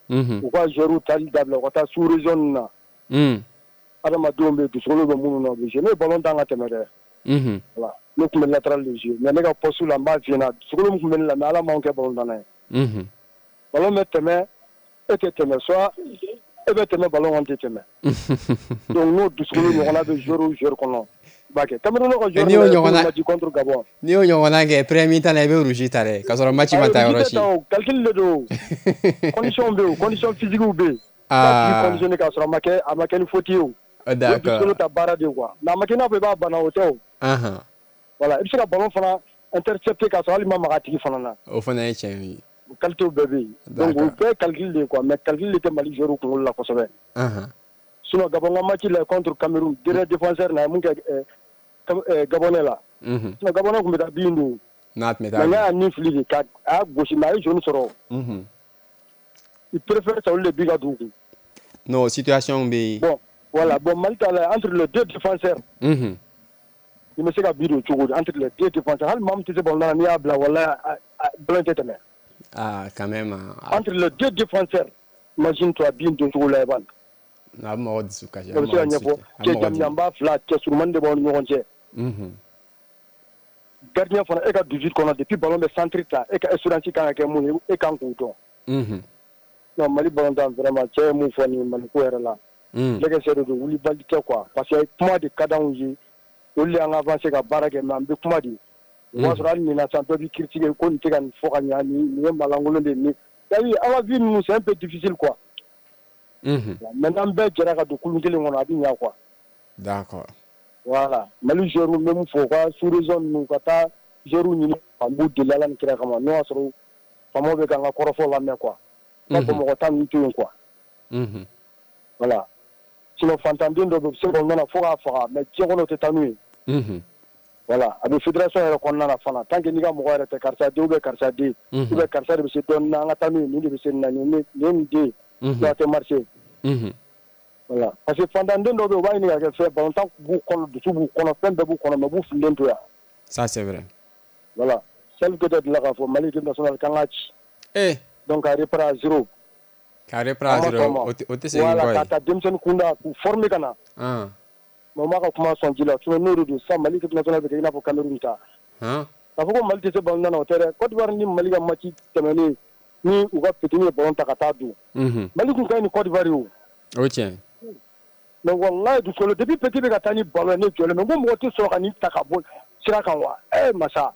Unhun. U ka joueurs tali dabila u ka taa sous région ninnu na. Un. Adamadenw bɛ yen dusukolo bɛ minnu na u bɛ jouer ne ye ballon tan ka tɛmɛ dɛ. Unhun. Voilà ne tun bɛ latéral de jouer mais ne ka poste la n b'a f'i ɲɛna dusukolo min tun bɛ ne la mais Ala m'anw kɛ ballon tanna ye. Unhun. Ballon bɛ tɛmɛ e tɛ tɛmɛ soit e bɛ tɛmɛ ballon kɔni tɛ tɛmɛ. Donc n'o dusukolo ɲɔgɔnna bɛ joueur o joueur kɔnɔ i b'a kɛ Cameroun ka joueur n'i y'o ɲɔgɔnna match contre Gabon. N'i y'o ɲɔgɔnna kɛ premier mi-temps la i bɛ rouge ta dɛ k'a sɔrɔ match ma taa yɔrɔ si. Calcul de don condition bɛ yen condition physique bɛ yen. Ah. Conditionné k'a sɔrɔ a ma kɛ a ma kɛ ni faute ye o. D'accord. Dusukolo ta baara de quoi mais a ma kɛ i n'a fɔ i b'a bana o tɛ o. Anhan. Voilà i bɛ se ka ballon fana intercepter k'a sɔrɔ hali ma maga a tigi fana na. O fana ye tiɲɛ ye. O qualité bɛɛ bɛ yen. Donc o bɛɛ ye calcul de ye quoi mais calcul de tɛ Mali joueur kunkolo la kosɛbɛ. Anhan. Sinon Gabon ka match la contre Cameroun dernier défenseur na ye mun kɛ Gabonais la. Unhun. Sinon Gabonais tun bɛ taa bin don. N'a tun bɛ taa. Mais n'a y'a ni fili de ka a y'a gosi mais a ye jaune sɔrɔ. Unhun. Il préfère ça olu de bi ka don u kun. Non situation bɛ yen. Bon voilà bon Mali ta la entre les deux défenseurs. Unhun. I bɛ se ka bi don cogo di entre les deux défenseurs hali maa min tɛ se ballon na n'i y'a bila walahi ballon tɛ tɛmɛ. Ah quand même. Entre les deux défenseurs imagine toi bin don cogo la i b'a. A bɛ mɔgɔ dusu kasi. O bɛ se ka ɲɛfɔ cɛ jamujanba fila cɛ surumani de b'aw ni ɲɔgɔn cɛ. Gardien fana e ka dix-huit kɔnɔ depuis ballon bɛ centre ta e ka assurance kan ka kɛ mun ye e kan k'o dɔn. Non Mali ballon-tan vraiment cɛ ye mun fɔ nin Mali ko yɛrɛ la. Lɛgɛsɛ de don wulibali tɛ quoi parce que kuma de ka d'anw ye olu de y'an ka avancer ka baara kɛ mais an bɛ kuma de. O b'a sɔrɔ hali nin na sisan dɔ b'i critiquer ko nin tɛ ka nin fɔ ka ɲa nin nin ye malankolon de ye nin c'est-à-dire an ka vie ninnu c'est un peu difficile quoi. Maintenant an bɛɛ jɛra ka don kulun kelen kɔnɔ a bɛ ɲa quoi. D'accord. Voilà Mali joueurs n bɛ mun fɔ u ka sous-région ninnu ka taa joueurs ɲini an b'u deli Ala ni kira kama n'o y'a sɔrɔ faamaw bɛ k'an ka kɔrɔfɔ lamɛn quoi. Ka mɔgɔ tan ninnu to yen quoi. Voilà. Sinon fantanden dɔ bɛ yen u bɛ se k'o nana fo k'a faga mais diɲɛ kɔnɔ o tɛ taa n'u ye. Voilà a bɛ fédération yɛrɛ kɔnɔna na fana tant que n'i ka mɔgɔ yɛrɛ tɛ karisa den ou bien karisa den ou bien karisa de bɛ se dɔɔnin na an ka taa n'u ye nin de bɛ se nin na nin ye nin den ye a tɛ marcher. Voilà parce que fantanden dɔw bɛ yen u b'a ɲini ka kɛ fɛn ballon-tan b'u kɔnɔ dusu b'u kɔnɔ fɛn bɛɛ b'u kɔnɔ mais u b'u fililen to yan. Ça c'est vrai. Voilà Salif Keita delila k'a fɔ Mali équipe nationale k'an k'a ci. Eh. Donc à reprendre à zéro. K'a reprendre à zéro o tɛ segin kɔ ye. Voilà ka ta denmisɛnnin kunda k'u former ka na. Mais o m'a ka kuma sɔn ji la sinon n'o de don sisan Mali équipe nationale bɛ kɛ i n'a fɔ Cameroun ta. K'a fɔ ko Mali tɛ se ballon na o tɛ dɛ Côte d'Ivoire ni Mali ka match tɛmɛnen ni u ka petit ye ballon ta ka taa don. Mali tun ka ɲi ni Côte d'Ivoire ye o. O tiɲɛ. Mais wallahi dusukolo depuis petit bɛ ka taa ni ballon ye ne jɔlen bɛ n ko mɔgɔ tɛ sɔrɔ ka nin ta ka bɔ sira kan wa eh masa.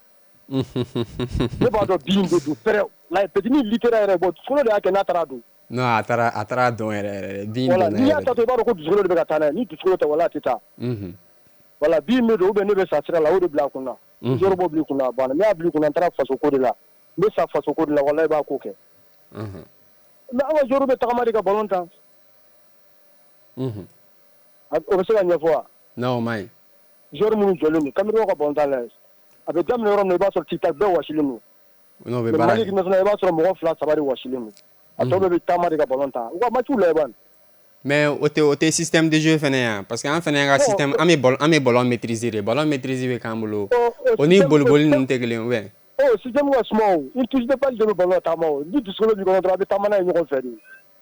Ne b'a dɔn bin de don fɛrɛ la petit ni litera yɛrɛ bɔ dusukolo de y'a kɛ n'a taara don. Non a taara a taara dɔn yɛrɛ yɛrɛ bin donna yɛrɛ. N'i y'a ta to i b'a dɔn ko dusukolo de bɛ ka taa n'a ye ni dusukolo tɛ wala a tɛ taa. Voilà bin bɛ don ou bien ne bɛ sa sira la o de bila a kun na. Zéro b'o bila i kun na a banna n'i y'a bila i kun na n taara faso ko de la n bɛ sa faso ko de la walahi i b'a ko kɛ. Mais an ka joueur bɛ tagama de ka ballon tan. O bɛ se ka ɲɛfɔ wa. Non o ma ɲi. Joueur minnu jɔlen don Cameroun ka ballon tan lajɛ a bɛ daminɛ yɔrɔ min na i b'a sɔrɔ tic-tac bɛɛ wasilen don. Non o bɛ baara kɛ. Mali équipe nationale i b'a sɔrɔ mɔgɔ fila saba de wasilen don. A tɔ bɛɛ bɛ taama de ka ballon tan u ka match lajɛ bani. Mais o tɛ o tɛ système de jeu fɛnɛ ya parce que an fɛnɛ ka système an bɛ ballon an bɛ ballon maîtriser de ballon maîtriser bɛ k'an bolo o ni boliboli ninnu tɛ kelen ye ou bien. Oh système ka suma o une touche de balle de bɛ ballon taama o ni dusukolo b'i kɔnɔ dɔrɔn a bɛ taama n'a ye ɲɔgɔn fɛ de.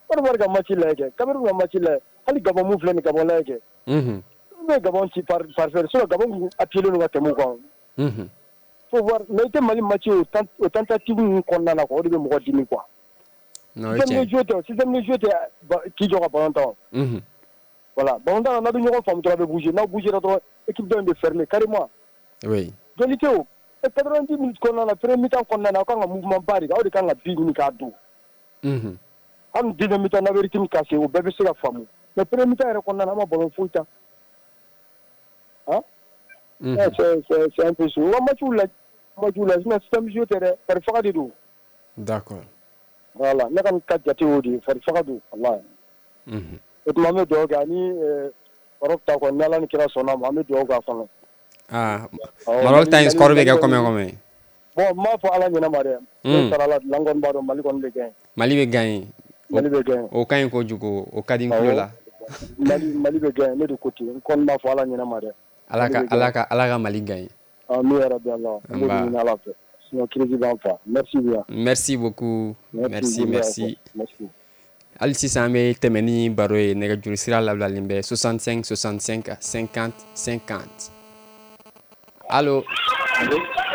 Côte d'Ivoire ka match lajɛ kɛ Cameroun ka match lajɛ hali Gabon mun filɛ nin Gabon lajɛ kɛ. U bɛ Gabon ci par par fɛ sinon Gabon tun appuyé don ka tɛmɛ u kan. Faut voir mais i tɛ Mali match o o tentative ninnu kɔnɔna na quoi o de bɛ mɔgɔ dimi quoi. Non o ye tiɲɛ. Système de jeu tɛ système de jeu tɛ k'i jɔ ka ballon tan. Voilà ballon tan n'a bɛ ɲɔgɔn faamu dɔrɔn a bɛ bouger n'aw bougera dɔrɔn équipe dɔ in bɛ fermer carrément. Oui. Joli tɛ o quatre-vingt-dix minutes kɔnɔna na premier mi-temps kɔnɔna na aw kan ka mouvement ba de kɛ aw de kan ka but ɲini k'a don. Hali deuxième mi-temps n'a bɛ rythme cassé o bɛɛ bɛ se ka faamu mais premier mi-temps yɛrɛ kɔnɔna na an ma ballon foyi ta. Hein? C'est c'est c'est un peu chaud. O ka match lajɛ match lajɛ sinon système jeu tɛ dɛ fari faga de don. D'accord. Voilà ne kɔni ka jate y'o de ye fari faga don walahi. O tuma an bɛ dugawu kɛ ani Maroc ta kɔni ni Ala ni kira sɔnna ma an bɛ dugawu k'a kɔnɔ. Ah Maroc ta in score bɛ kɛ combien combien? Bon n m'a fɔ Ala ɲɛna ma dɛ. Ne sara la n kɔni b'a dɔn Mali kɔni bɛ gagner. Mali bɛ gagner. Mali bɛ gagner. O ka ɲi kojugu o ka di n tulo la. Mali Mali bɛ gagner ne de ko ten n kɔni m'a fɔ Ala ɲɛna ma dɛ. Ala ka Ala ka Ala ka Mali gagner. Amin ya Rabbi Allah. An b'o ɲini Ala fɛ. Sinon crise b'an fa. Merci bien. Merci beaucoup. Merci merci. Merci. Hali sisan an bɛ tɛmɛ ni baro ye nɛgɛjuru sira labilalen bɛ soixante-cinq soixante-cinq cinquante cinquante. Allo.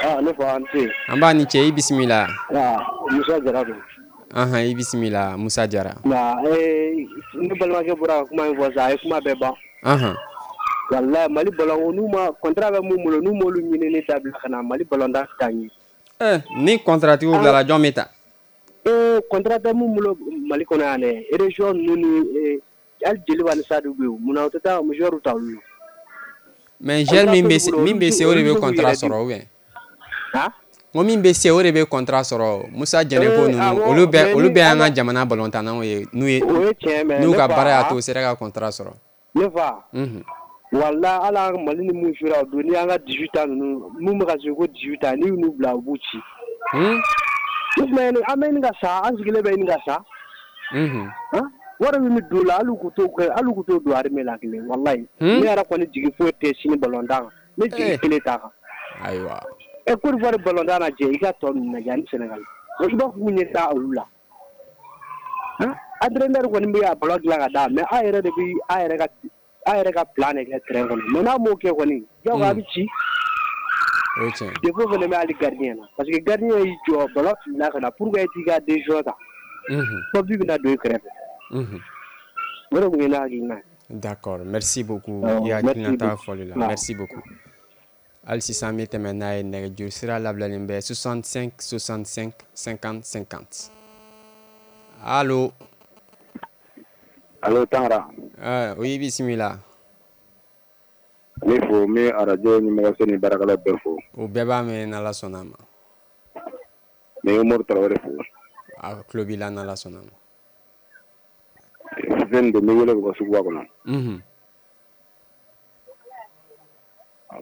Ah ne fa an ce. An b'a ni ce i bisimila. Ah Musa Jara don. Anhan i bisimila Musa Jara. Nka ee ne balimakɛ bɔra ka kuma in fɔ sisan a ye kuma bɛɛ ban. Anhan. Walahi Mali ballon n'u ma contrat bɛ mun bolo n'u m'olu ɲinini dabila ka na Mali ballon da tɛ taa ɲɛ. Eh ni contrat tigiw bilala jɔn bɛ ta? Ee contrat tɛ mun bolo Mali kɔnɔ yan dɛ région ninnu ni hali Joliba ni Sadu bɛ yen munna u tɛ taa joueur ta olu la. Mais joueur min bɛ se min bɛ se o de bɛ contrat sɔrɔ ou bien? Han? N ko min bɛ se o de bɛ contrat sɔrɔ Musa Jɛnɛko ninnu olu bɛɛ olu bɛɛ y'an ka jamana ballontannaw ye n'u ye n'u ka baara y'a to u sera ka contrat sɔrɔ. Ne fa. Unhun. Walahi hali an Mali ni mun jouera o don n'i y'an ka dix-huit ans ninnu mun bɛ ka jouer ko dix-huit ans n'i y'u bila u b'u ci. Un? An bɛ ɲini ka sa an sigilen bɛ ɲini ka sa. Unhun. Wari min bɛ don o la hali u k'u t'o kɛ hali u k'u t'o don armée la kelen walahi. Ne yɛrɛ kɔni jigi foyi tɛ sini ballon tan kan ne jigi kelen t'a kan. Ayiwa. Ɛ Côte d'Ivoire ballon tan lajɛ i ka tɔ ninnu lajɛ ani Sénégal i b'a fɔ k'u ɲɛ t'a olu la. Entraîneur kɔni bɛ a ballon dilan ka d'a mais a yɛrɛ de bɛ a yɛrɛ ka a yɛrɛ ka plan de kɛ terrain kɔnɔ mais n'a m'o kɛ kɔni diyagoya a bɛ ci. O ye tiɲɛ. Défaut fana bɛ hali gardien na parce que gardien y'i jɔ ballon filila ka na pour que e t'i ka décision ta. Fo but bɛna don i kɛrɛfɛ. O de tun ye ne hakilina ye. D'accord, merci beaucoup. I hakilinata fɔli la, merci beaucoup. Hali sisan an bɛ tɛmɛ n'a ye nɛgɛjuru sira labilalen bɛ soixante-cinq soixante-cinq cinquante cinquante. Allo. Allo Tangara. Ah, oui, bisimila. Ne fo n bɛ arajo ɲɛmɔgɔso ni baarakɛlaw bɛɛ fo. O bɛɛ b'a mɛn n'Ala sɔnna a ma. N bɛ Umaru Tarawele fo. A tulo b'i la n'Ala sɔnna a ma. Fɛn don n bɛ wele ka bɔ suguba kɔnɔ. Unhun.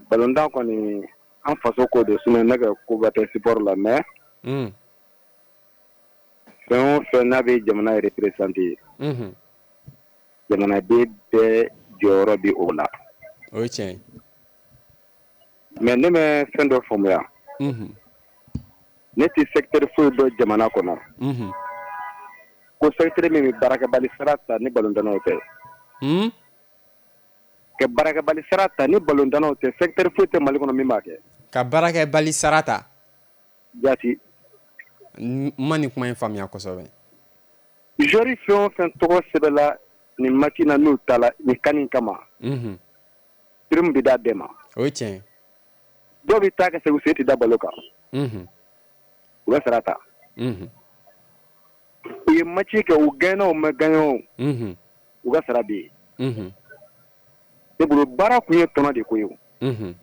Balontan kɔni an faso ko don sinon ne ka koba tɛ sport la mais. Un. Fɛn o fɛn n'a bɛ jamana représenter. Unhun. Jamanaden bɛɛ jɔyɔrɔ bɛ o la. O ye tiɲɛ ye. Mais ne bɛ fɛn dɔ faamuya. Unhun. Ne tɛ secteur foyi dɔn jamana kɔnɔ. Unhun. Ko secteur min bɛ baarakɛbali sara ta ni balontannaw tɛ. Un. Ka baarakɛbali sara ta ni balontannaw tɛ, secteur foyi tɛ Mali kɔnɔ min b'a kɛ. Ka baarakɛbali sara ta. Jaati. N ma nin kuma in faamuya kosɛbɛ. Joueur fɛn o fɛn tɔgɔ sɛbɛnna nin match na n'u taara nin CAN in kama. Unhun. Prime bɛ d'a bɛɛ ma. O ye tiɲɛ ye. Dɔw bɛ taa ka segin u sen tɛ da ballon kan. Unhun. U bɛ sara ta. Unhun. U ye match kɛ u gagné o ma gagné o. Unhun. U ka sara bɛ yen. Unhun. Ne bolo baara kun ye tɔnɔ de ko ye o. Unhun.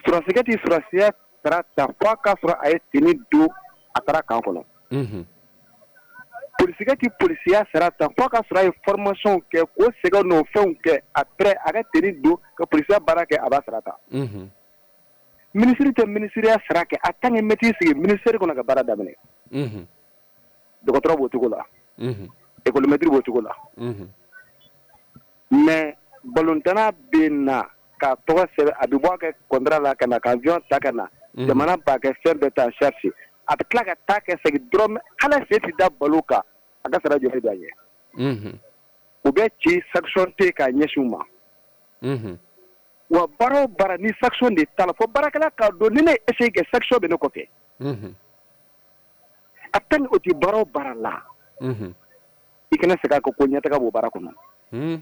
Sɔrɔdasikɛ tɛ sɔrɔdasiya sara ta f'a k'a sɔrɔ a ye tenue don a taara camp kɔnɔ. Unhun. Polisikɛ tɛ polisiya sara ta f'a k'a sɔrɔ a ye formation kɛ k'o sɛgɛn n'o fɛnw kɛ après a ka tenue don ka polisiya baara kɛ a b'a sara ta. Unhun. Ministre tɛ ministériya sara kɛ a tant que mɛtiri sigi ministère kɔnɔ ka baara daminɛ. Unhun. Dɔgɔtɔrɔ b'o cogo la. Unhun. École maître b'o cogo la. Unhun. Mais balontanna bɛ na k'a tɔgɔ sɛbɛn a bɛ bɔ a kɛ contrat la ka na ka avion ta ka na. Jamana b'a kɛ fɛn bɛɛ ta en charge a bɛ tila ka taa kɛ segin dɔrɔn hali sen tɛ da ballon kan a ka sara joli b'a ɲɛ. Unhun. U bɛ ci sanction tɛ yen k'a ɲɛsin u ma. Unhun. Wa baara o baara ni sanction de t'a la fo baarakɛla k'a dɔn ni ne ye échec kɛ sanction bɛ ne kɔfɛ. Unhun. A tant que o tɛ baara o baara la. Unhun. I kana segin a kan ko ɲɛtaga b'o baara kɔnɔ. Un.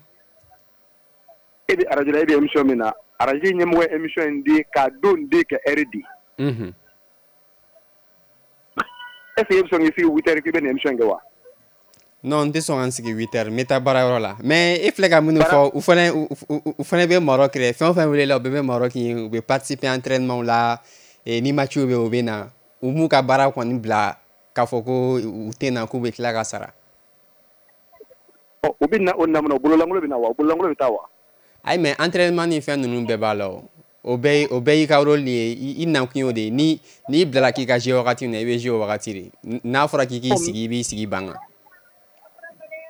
E bɛ arajo la e bɛ émission min na arajo ɲɛmɔgɔ ye émission in di k'a don di ka heure di. Unhun. Est ce que e bɛ sɔn k'i sigi huit heures k'i bɛ nin émission kɛ wa? Non, n tɛ sɔn ka n sigi huit heures n bɛ taa baarayɔrɔ la mais e filɛ ka minnu fɔ u fana u fana bɛ Maroc dɛ fɛn o fɛn welela u bɛɛ bɛ Maroc u bɛ participer entraînement la ni match bɛ yen u bɛ na u m'u ka baara kɔni bila k'a fɔ ko u tɛ na k'u bɛ tila ka sara. Ɔ u bɛ na o na mun na u bololankolon bɛ na wa u bololankolon bɛ taa wa? Ayi mais entraînement ni fɛn ninnu bɛɛ b'a la o. O bɛɛ o bɛɛ y'i ka rôle ye i nakun y'o de ye ni n'i bilala k'i ka jouer wagati min na i bɛ jouer o wagati de n'a fɔra k'i k'i sigi i b'i sigi ban kan.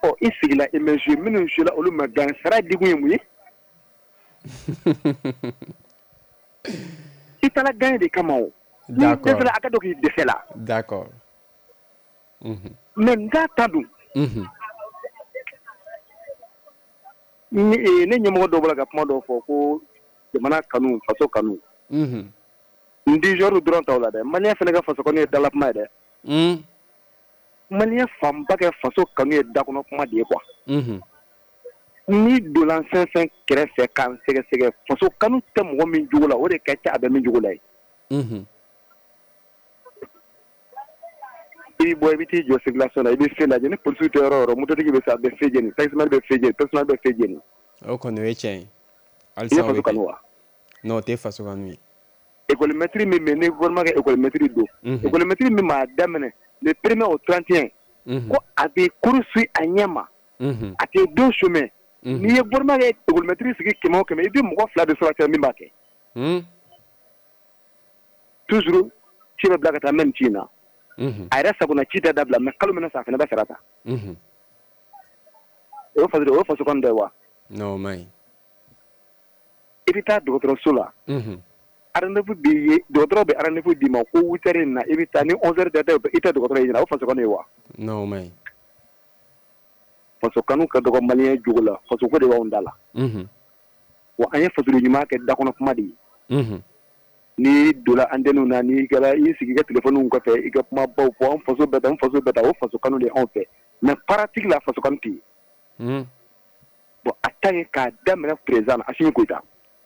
Ɔ i sigila i ma jouer minnu jouer la olu ma gagner sara dikun ye mun ye? I taara gagner de kama o. D'accord. N'i dɛsɛra a ka dɔn k'i dɛsɛ la. D'accord. Unhun. Mais n k'a ta dun. Unhun. Ne ɲɛmɔgɔ dɔ bɔra ka kuma dɔ fɔ ko jamana kanu faso kanu. Unhun. N di joueur dɔrɔn t'aw la dɛ malien fana ka faso kanu ye dalakuma ye dɛ. Un. Malien fanba kɛ faso kanu ye dakɔnɔ kuma de ye quoi. Unhun. N'i donna fɛn fɛn kɛrɛfɛ k'an sɛgɛsɛgɛ faso kanu tɛ mɔgɔ min jogo la o de ka ca a bɛ min jogo la ye. Unhun. I bɛ bɔ i bɛ t'i jɔ circulation na i bɛ feu lajɛ ni polisiw tɛ yɔrɔ o yɔrɔ mototigi bɛ se a bɛ feu jeni taximan bɛ feu jeni taximan bɛ feu jeni. O kɔni o ye tiɲɛ ye. I ye faso kanu wa? Non, o tɛ faso kanu ye. École maître min bɛ yen ni gouvernement ka école maître don. École maître min m'a daminɛ le premier au trente et un. Ko a bɛ cours suit a ɲɛ ma. A tɛ don chemin. N'i ye gouvernement ka école maître sigi kɛmɛ o kɛmɛ i bɛ mɔgɔ fila de sɔrɔ a cɛ min b'a kɛ. Toujours ci bɛ bila ka taa même ci in na. A yɛrɛ sagona ci tɛ dabila mais kalo min na sa a fana bɛ sara ta. O ye faso o ye faso kanu dɔ ye wa? Non, o man ɲi. I bɛ taa dɔgɔtɔrɔso la. Rendez-vous b'i ye dɔgɔtɔrɔ bɛ rendez-vous d'i ma ko huit heures in na i bɛ taa ni onze heures tɛ i tɛ dɔgɔtɔrɔ ye ɲɛna o faso kanu ye wa? Non, o man ɲi. Faso kanu ka dɔgɔ malien jogo la, faso ko de b'anw da la. Wa an ye fasoden ɲuman kɛ dakɔnɔ kuma de ye. N'i donna antenne na, n'i kɛra i sigi i ka téléphone kɔfɛ, i ka kumabaw fɔ, an faso bɛ tan, an faso bɛ tan, o faso kanu de anw fɛ. Mais pratique la, faso kanu tɛ yen. Bon, a ta ye k'a daminɛ président na, Assimi Goïta.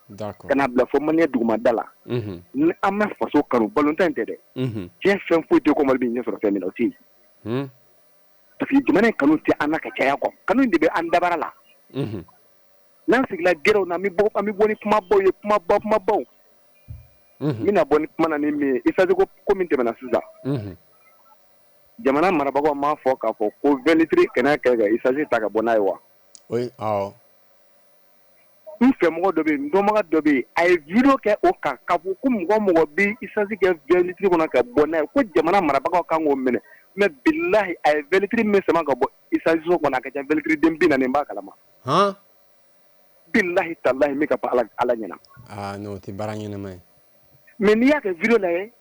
D'accord. Ka n'a bila fo malien dugumada la. Ni an ma faso kanu, balontan in tɛ dɛ. Diɲɛ fɛn foyi tɛ ko Mali bɛ ɲɛ sɔrɔ fɛn min na, o tɛ yen. Parce que jamana in kanu tɛ an na ka caya quoi. Kanu in de bɛ an dabara la. N'an sigila gɛrɛw na, an bɛ bɔ an bɛ bɔ ni kumabaw ye, kumabaw kumabaw. N bɛna bɔ ni kuma na ni min ye, essence ko ko min tɛmɛna sisan. Jamana marabagaw m'a fɔ k'a fɔ ko vingt litres kana kɛ ka essence ta ka bɔ n'a ye wa? Oui, awɔ. N fɛmɔgɔ dɔ bɛ yen, n dɔnbaga dɔ bɛ yen, a ye vidéo kɛ o kan k'a fɔ ko mɔgɔ mɔgɔ bɛ essence kɛ vingt litres kɔnɔ ka bɔ n'a ye, ko jamana marabagaw kan k'o minɛ. Mais bilahi, a ye vingt litres min sama ka bɔ essence kɔnɔ, a ka ca vingt litres den bi naani, n b'a kalama. Han? Bilahi talahi, min ka fɔ Ala Ala ɲɛna. Ah non, o tɛ baara ɲɛnama ye. Mais n'i y'a kɛ vidéo lajɛ,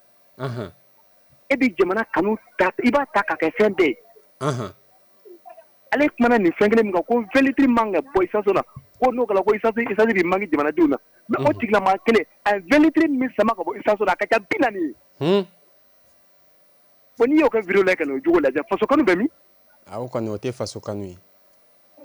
e bɛ jamana kanu ta, i b'a ta k'a kɛ fɛn bɛɛ ye. Ale kumana nin fɛn kelen min kan, ko vingt litres man ka bɔ essence na, ko n'o kɛra ko essence essence bɛ manque jamanadenw na. Mais o tigilamaa kelen, a ye vingt litres min sama ka bɔ essence na, a ka ca bi naani ye. Bon, n'i y'o kɛ vidéo lajɛ ka n'o jogo lajɛ, faso kanu bɛ min? A o kɔni, o tɛ faso kanu ye.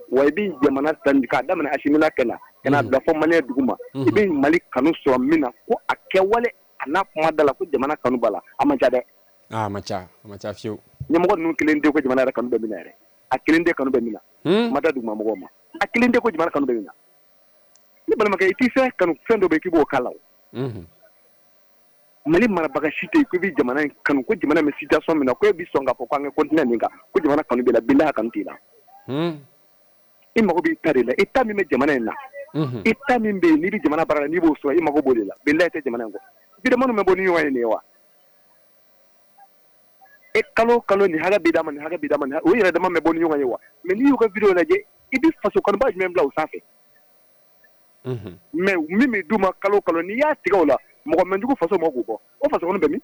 Wa i bɛ jamana ta k'a daminɛ Assimi la ka na ka n'a bila fo malien dugu ma, i bɛ Mali kanu sɔrɔ min na, ko a kɛwale a n'a kuma da la ko jamana kanu b'a la, a man ca dɛ. Ah, a man ca, a man ca fiyewu. Ɲɛmɔgɔ ninnu kelen tɛ ko jamana yɛrɛ kanu bɛ min na yɛrɛ. A kelen tɛ kanu bɛ min na. Ma da duguma mɔgɔw ma. A kelen tɛ ko jamana kanu bɛ min na. Ne balimakɛ, i t'i fɛn kanu, fɛn dɔ bɛ yen k'i b'o k'a la o. Mali marabaga si tɛ yen ko i bɛ jamana in kanu, ko jamana bɛ situation min na, ko e bɛ sɔn k'a fɔ ko an ka continuer nin kan, ko jamana kanu b'i la, bilahi a kanu t'i la. I mago b'i ta de la, i ta min bɛ jamana in na, i ta min bɛ yen n'i bɛ jamana baara la, n'i b'o sɔrɔ, i mago b'o de la, bilahi i tɛ jamana in kɔ. Vidéo bɛ bɔ ni ɲɔgɔn ye nin ye wa? E kalo kalo nin hakɛ bɛ d'a ma, nin hakɛ bɛ d'a ma, o yɛrɛ dama bɛ bɔ ni ɲɔgɔn ye wa? Mais n'i y'u ka vidéo lajɛ, i bɛ faso kanuba jumɛn bila o sanfɛ? Mais min bɛ d'u ma kalo kalo, n'i y'a tigɛ o la, mɔgɔ man jugu faso ma k'o bɔ, o faso kanu bɛ min?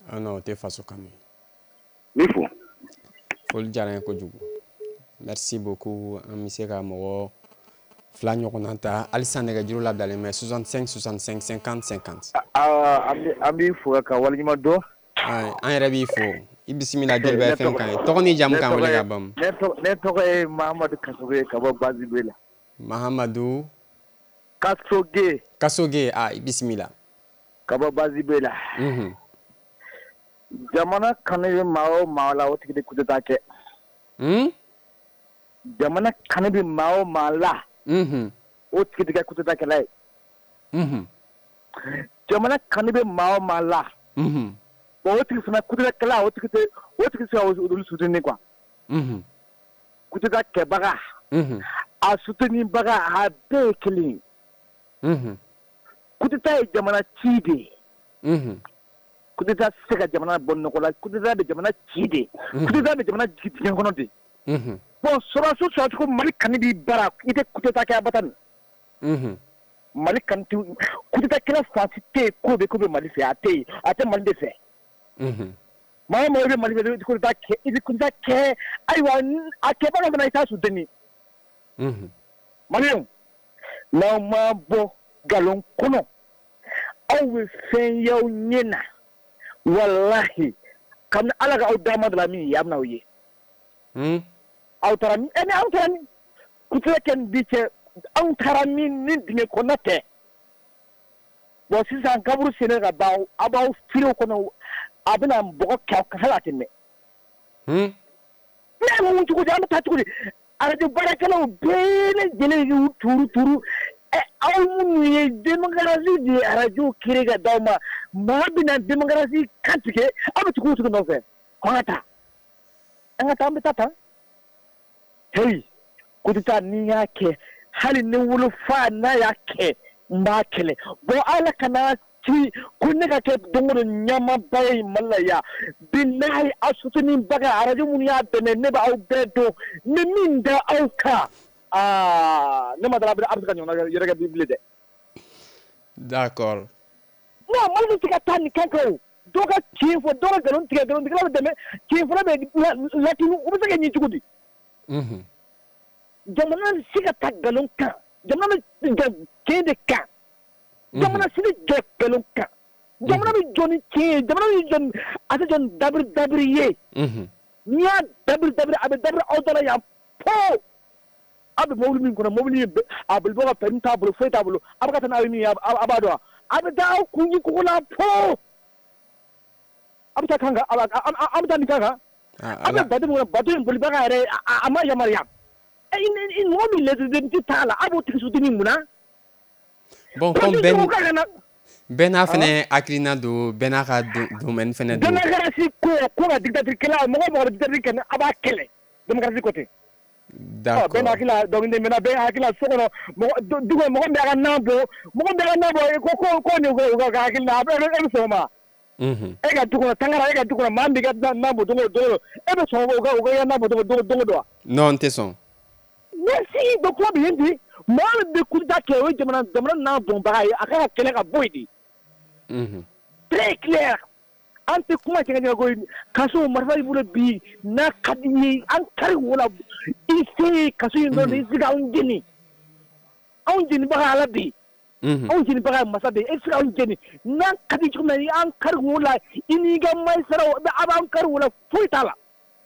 Ah non, o tɛ faso kanu ye. N b'i fo. Foli diyara n ye kojugu. Merci beaucoup. An bɛ se ka mɔgɔ fila ɲɔgɔnna ta halisa, nɛgɛjuru labilalen bɛ soixante-cinq soixante-cinq cinquante cinquante. An b'i fo ka waleɲuman dɔn. An yɛrɛ b'i fo. I bisimila Joliba F M kan ye. Tɔgɔ ni jamu k'an wele ka ban. Ne tɔgɔ ye Mahamadu Kasoge ka bɔ Bazibe la. Mahamadu Kasoge. Kasoge, ah, i bisimila. Ka bɔ Bazibe la. Jamana kanu bɛ maa o maa la, o tigi de coup d'état kɛ. Jamana kanu bɛ maa o maa la, o tigi de kɛ coup d'état kɛla ye. Jamana kanu bɛ maa o maa la, bon, o tigi fana coup d'état kɛla, o tigi tɛ, o tigi tɛ se ka olu soutenir quoi. Coup d'état kɛbaga, a soutenir baga, a bɛɛ ye kelen ye. Coup d'état ye jamana ci de ye. Coup d'état tɛ se ka jamana bɔ nɔgɔ la, coup d'état bɛ jamana ci de. Coup d'état bɛ jamana jigin dingɛ kɔnɔ de. Bon, sɔrɔdasi sɔrɔdasi ko Mali kanu b'i bara, i tɛ coup d'état kɛ abada nin. Mali kanu tɛ, coup d'état kɛla fan si tɛ yen k'o bɛ k'o bɛ Mali fɛ, a tɛ yen, a tɛ Mali de fɛ. Maa o maa i bɛ Mali fɛ, i bɛ coup d'état kɛ, i bɛ coup d'état kɛ, ayiwa a kɛbaga fana i t'a soutenir. Maliyɛnw, n'aw ma bɔ nkalon kɔnɔ, aw bɛ fɛn y'aw ɲɛ na, walahi, kabini Ala ka aw dama dɔ la min ye, a bɛ n'aw ye. Aw taara min, ɛ aw taara min, coup d'état kɛ ni bi cɛ, anw taara min ni dingɛ kɔnɔna tɛ. Bon, sisan kaburu sennen ka ban, aw b'aw filew kɔnɔ, a bɛna bɔgɔ kɛ aw kan hali a tɛ mɛn. Ne ye mun cogo di, an bɛ taa cogo di? Arajo baarakɛlaw bɛɛ lajɛlen y'u turu turu. Ɛ aw minnu ye démocratie de arajo créé ka d'aw ma, maa bɛna démocratie kan tigɛ, aw bɛ tugu o tugu nɔfɛ. Ko an ka taa, an ka taa, an bɛ taa tan. Hey, coup d'état n'i y'a kɛ, hali ne wolofa n'a y'a kɛ, n b'a kɛlɛ. Bon, Ala kana ci ko ne ka kɛ don o don ɲamaba ye Mali la yan. Bilahi, aw soutenir baga arajo minnu y'a dɛmɛ, ne b'aw bɛɛ dɔn. N bɛ min da aw kan, aa, ne ma dala a bɛ se ka ɲɔgɔnna yɛrɛ kɛ bilen dɛ. D'accord. Non, Mali bɛ se ka taa nin kan kan o. Dɔw ka tiɲɛ fɔ, dɔw ka nkalon tigɛ, nkalontigɛla bɛ dɛmɛ, tiɲɛ fɔla bɛ latunu, o bɛ se ka ɲɛ cogo di? Mhm. Jamana bɛ se ka ta nkalon kan, jamana bɛ jɔ tiɲɛ de kan, jamana si bɛ jɔ nkalon kan, jamana bɛ jɔ ni tiɲɛ ye, jamana bɛ jɔ a tɛ jɔ ni dabiri dabiri ye. N'i y'a dabiri dabiri a bɛ dabiri aw da la yan po. Aw bɛ mobili min kɔnɔ, mobili a bolibɔ ka permis t'a bolo, foyi t'a bolo, a bɛ ka taa n'aw ye min ye, a b'a dɔn wa? A bɛ taa aw kun kogo la po. A bɛ taa kan kan, a bɛ taa nin kan kan. A bɛ bato min kɔnɔ, bato in bolibaga yɛrɛ a ma yamaruya. Mɔgɔ min lɛsɛn t'a la, a b'o tigi suteni mun na? Bon, comme bɛɛ bɛɛ n'a fɛnɛ hakilina don, bɛɛ n'a ka domaine fɛnɛ don. Démocratie ko ko ka dictature kɛla, mɔgɔ mɔgɔ bɛ dictature kɛ, a b'a kɛlɛ. Démocratie ko ten. D'accord. Bɛɛ n'a hakili donc maintenant bɛɛ hakili la so kɔnɔ, mɔgɔ du kɔnɔ mɔgɔ min bɛ a ka nan bɔ, mɔgɔ min bɛ a ka nan bɔ, ko ko ko nin ko ka hakili la, a bɛ e bɛ sɔn o ma? E ka du kɔnɔ tangara, e ka du kɔnɔ maa min b'i ka nan bɔ don o don, e bɛ sɔn o ka o ka nan bɔ don o don o wa? Non, n tɛ sɔn. Merci. Donc kuma bɛ yen de, mɔgɔ min bɛ coup d'État kɛ, o ye jamana jamana nan bɔnbaga ye, a kan ka kɛlɛ ka bɔ yen de. Très clair. An tɛ kuma cɛ ka ko kaso marifa b'i bolo bi, n'a ka di ye an kari wo la, i se kaso in dɔrɔn i se k'anw jeni, anw jenibaga Ala de ye, anw jenibaga ye masa de ye, e tɛ se k'anw jeni n'a ka di cogo min na an kari wo la, i n'i ka magistrat a b'an kari wo la, foyi t'a la,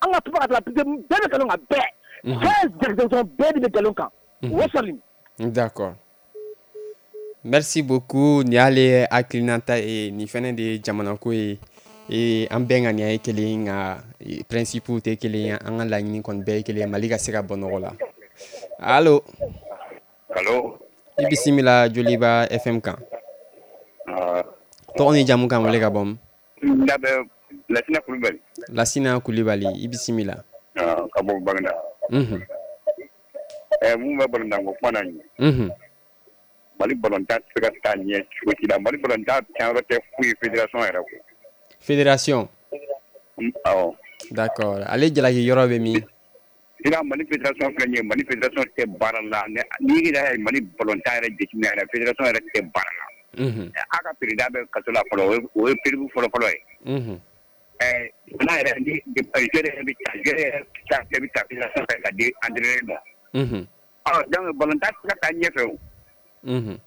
an ka tuba ka taa bɛɛ bɛ nkalon kan bɛɛ. Fɛn bɛɛ de bɛ nkalon kan. O sɔrɔ. D'accord. Merci beaucoup. Nin y'ale hakilinata ye, nin fɛnɛ de ye jamanako ye. Ee an bɛɛ ŋaniya ye kelen, nka principe tɛ kelen ye, an ka laɲini kɔni bɛɛ ye kelen ye, Mali ka se ka bɔ nɔgɔ la. Allo. Allo. I bisimila Joliba F M kan. Tɔgɔ ni jamu kan wele ka bɔ min? N da bɛ Lasina Kulubali. Lasina Kulubali, i bisimila. Ka bɔ Baginda. Mhm. Ɛ mun bɛ balontan ko kuma na nin ye. Mhm. Mali balontan tɛ se ka taa ɲɛ cogo si la. Mali balontan tiɲɛyɔrɔ tɛ foyi ye fédération yɛrɛ kɔ. Fédération. Awɔ. D'accord. Ale jalaki yɔrɔ bɛ min? Sira Mali fédération filɛ nin ye, Mali fédération tɛ baara la. N'i yɛrɛ ye Mali balontan yɛrɛ jateminɛ yɛrɛ, fédération yɛrɛ tɛ baara la. Mhm. A ka président bɛ kaso la fɔlɔ, o ye preuve fɔlɔ fɔlɔ ye. Mhm. Ɛɛ n'a yɛrɛ ni joueur yɛrɛ bɛ ta, joueur yɛrɛ ta bɛ ta fédération fɛ ka di entraîneur ma. Mhm. Ɔ donc balontan tɛ se ka taa ɲɛfɛ o. Mhm.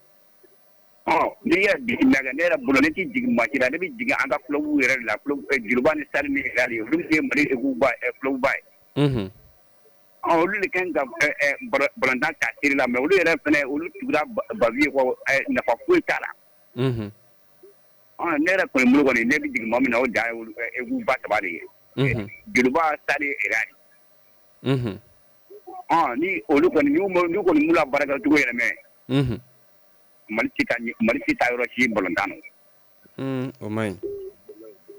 Ɔ n'i yɛrɛ jigin na ne yɛrɛ bolo, ne tɛ jigin maa si la, ne bɛ jigin an ka club yɛrɛ de la, club Joliba ni Stade ni Real, olu de ye Mali équipe ba club ba ye. Mhm. Ɔ olu de kan ka balontan ta seri la, mais olu yɛrɛ fɛnɛ olu tugura Bavieux kɔ, nafa foyi t'a la. Mhm. Ɔ ne yɛrɛ kɔni bolo kɔni, ne bɛ jigin maa min na, o dan ye olu équipe ba saba de ye. Mhm. Joliba, Stade, Real. Mhm. Ɔ ni olu kɔni n'u kɔni m'u la baarakɛcogo yɛlɛmɛ. Mhm. Mali tɛ taa Mali tɛ taa yɔrɔ si balontan na. Un, o man ɲi.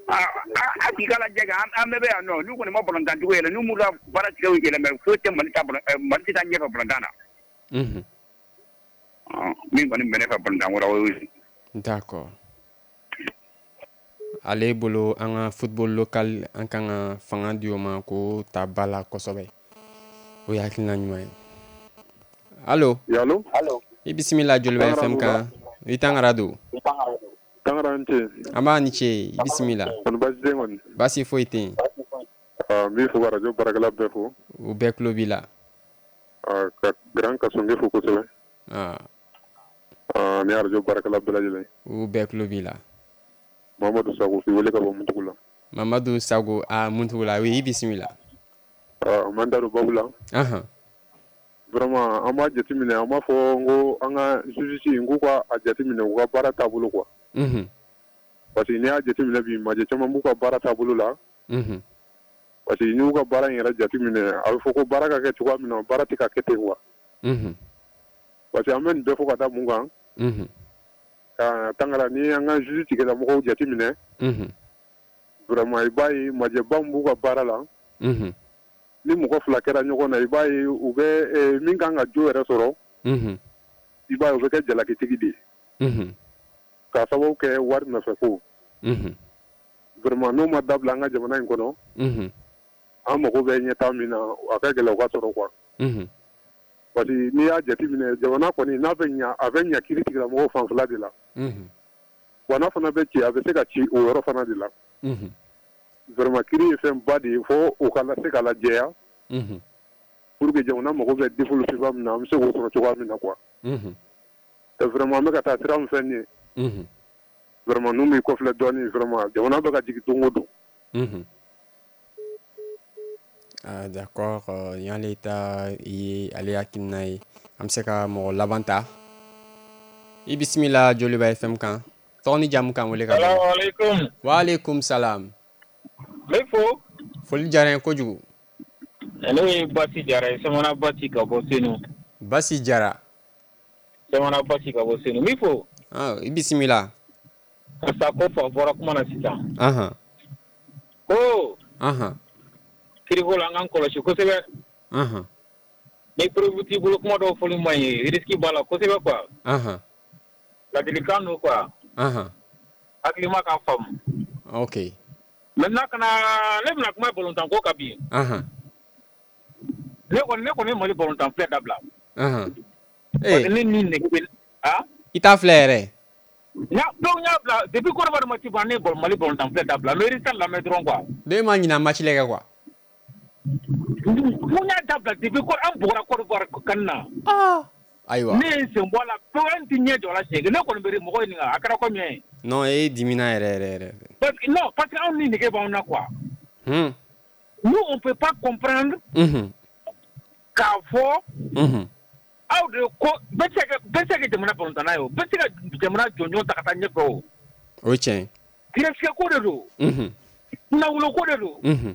Aa a k'i ka lajɛ kɛ, an bɛɛ bɛ yan nɔ, n'u kɔni ma balontan cogo yɛlɛ, n'u m'u ka baara tigɛw yɛlɛmɛ, foyi tɛ Mali ta Mali tɛ taa ɲɛfɛ balontan na. Mhm. Ɔ min kɔni bɛ ne fɛ balontan ko la, o y'o ye. D'accord. Ale bolo an ka football local, an kan ka fanga di o ma k'o ta ba la kosɛbɛ. O ye hakilina ɲuman ye. Allo. Allo. I bisimila Joliba F M kan. I Tangara don. Tangara ni ce. An b'a ni ce, i bisimila. Kɔni baasi tɛ yen kɔni? Baasi foyi tɛ yen. N b'i fo ka radio baarakɛla bɛɛ fo. U bɛɛ tulo b'i la. Ka Grand Kasonge fo kosɛbɛ. Ni radio baarakɛla bɛɛ lajɛlen. U bɛɛ tulo b'i la. Mamadu Sago k'i wele ka bɔ Muntugu la. Mamadu Sago, a Muntugu la, oui, i bisimila. N b'an da don babu la. Anhan. Vraiment an b'a jateminɛ, an b'a fɔ n ko an ka justice n k'u ka a jateminɛ u ka baara taabolo quoi. Mhm. Parce que n'i y'a jateminɛ bi, majɛ caman b'u ka baara taabolo la. Mhm. Parce que n'i y'u ka baara in yɛrɛ jateminɛ, a bɛ fɔ ko baara ka kɛ cogoya min na, baara tɛ ka kɛ ten quoi. Mhm. Parce que an bɛ nin bɛɛ fɔ ka da mun kan? Mhm. Ka Tangara ni an ka justice tigilamɔgɔw jateminɛ. Mhm. Vraiment i b'a ye majɛba min b'u ka baara la. Mhm. Ni mɔgɔ fila kɛra ɲɔgɔn na, i b'a ye u bɛ min kan ka jo yɛrɛ sɔrɔ. Mhm. I b'a ye u bɛ kɛ jalakitigi de ye. Mhm. K'a sababu kɛ wari nɔfɛ ko. Mhm. Vraiment n'o ma dabila an ka jamana in kɔnɔ. Mhm. An mago bɛ ɲɛtaa min na, a ka gɛlɛn o ka sɔrɔ quoi. Mhm. Parce que n'i y'a jateminɛ, jamana kɔni n'a bɛ ɲa, a bɛ ɲa kiiri tigilamɔgɔw fanfɛla de la. Mhm. Wa n'a fana bɛ ci, a bɛ se ka ci o yɔrɔ fana de la. Mhm. Vraiment kiiri ye fɛn ba de ye, fo o ka se ka lajɛya. Mhm. pour que jamana mago bɛ développement min na, an bɛ se k'o sɔrɔ cogoya min na quoi. Mhm. Vraiment, an bɛ ka taa sira min fɛ nin ye. Mhm. Vraiment, n'u m'i kɔfilɛ dɔɔnin, vraiment, jamana bɛ ka jigin don o don. Mhm. Ah, d'accord, nin y'ale ta ye, ale hakilina ye. An bɛ se ka mɔgɔ laban ta. I bisimila Joliba F M kan. Tɔgɔ ni jamu kan wele ka bɔ. Salaamaaleykum. Waaleykum salam. N bɛ fo. Foli diyara n ye kojugu. Ne ye Basi Jara ye, Samana Basi ka bɔ Senu. Basi Jara. Samana Basi ka bɔ Senu. N b'i fo. Ah, i bisimila. Karisa ko fa bɔra kuma na sisan. Ahan. Ko. Ahan. Kiriko la an k'an kɔlɔsi kosɛbɛ. Ahan. Ni preuve t'i bolo, kuma dɔw fɔli man ɲi, risque b'a la kosɛbɛ quoi. Ahan. Ladilikan don quoi. Ahan. Hakilima k'a faamu. Ok. Maintenant kana ne bɛna kuma balontan ko kan bi. Ahan. Ne kɔni ne kɔni ye Mali balontan filɛ dabila. Ahan. Parce que ne ni nege bɛ ah. I t'a filɛ yɛrɛ. Donc n y'a bila depuis Côte d'Ivoire match ban, ne ye Mali balontan filɛ dabila. N bɛ résultat lamɛn dɔrɔn quoi. Ne ma ɲina match lajɛ quoi. Mun y'a dabila depuis ko an bugɔra Côte d'Ivoire kan na. Ah. Ayiwa. Ne ye n sen bɔ a la pewu, n tɛ ɲɛ jɔ a la siɲɛ kelen. Ne kɔni bɛ mɔgɔ ɲininka a kɛra komi ye. Non, e dimina yɛrɛ yɛrɛ yɛrɛ. Parce que non, parce que anw ni nege b'anw na quoi. Hmm. Nous on peut pas comprendre. Mhm. K'a fɔ. Mhm. Aw de ko bɛɛ tɛ se ka bɛɛ tɛ se ka jamana balontanna ye o, bɛɛ tɛ se ka jamana jɔnjɔn ta ka taa ɲɛfɛ o. O ye tiɲɛ ye. Gɛrɛsɛgɛ ko de don. Mhm. Kunnawolo ko de don. Mhm.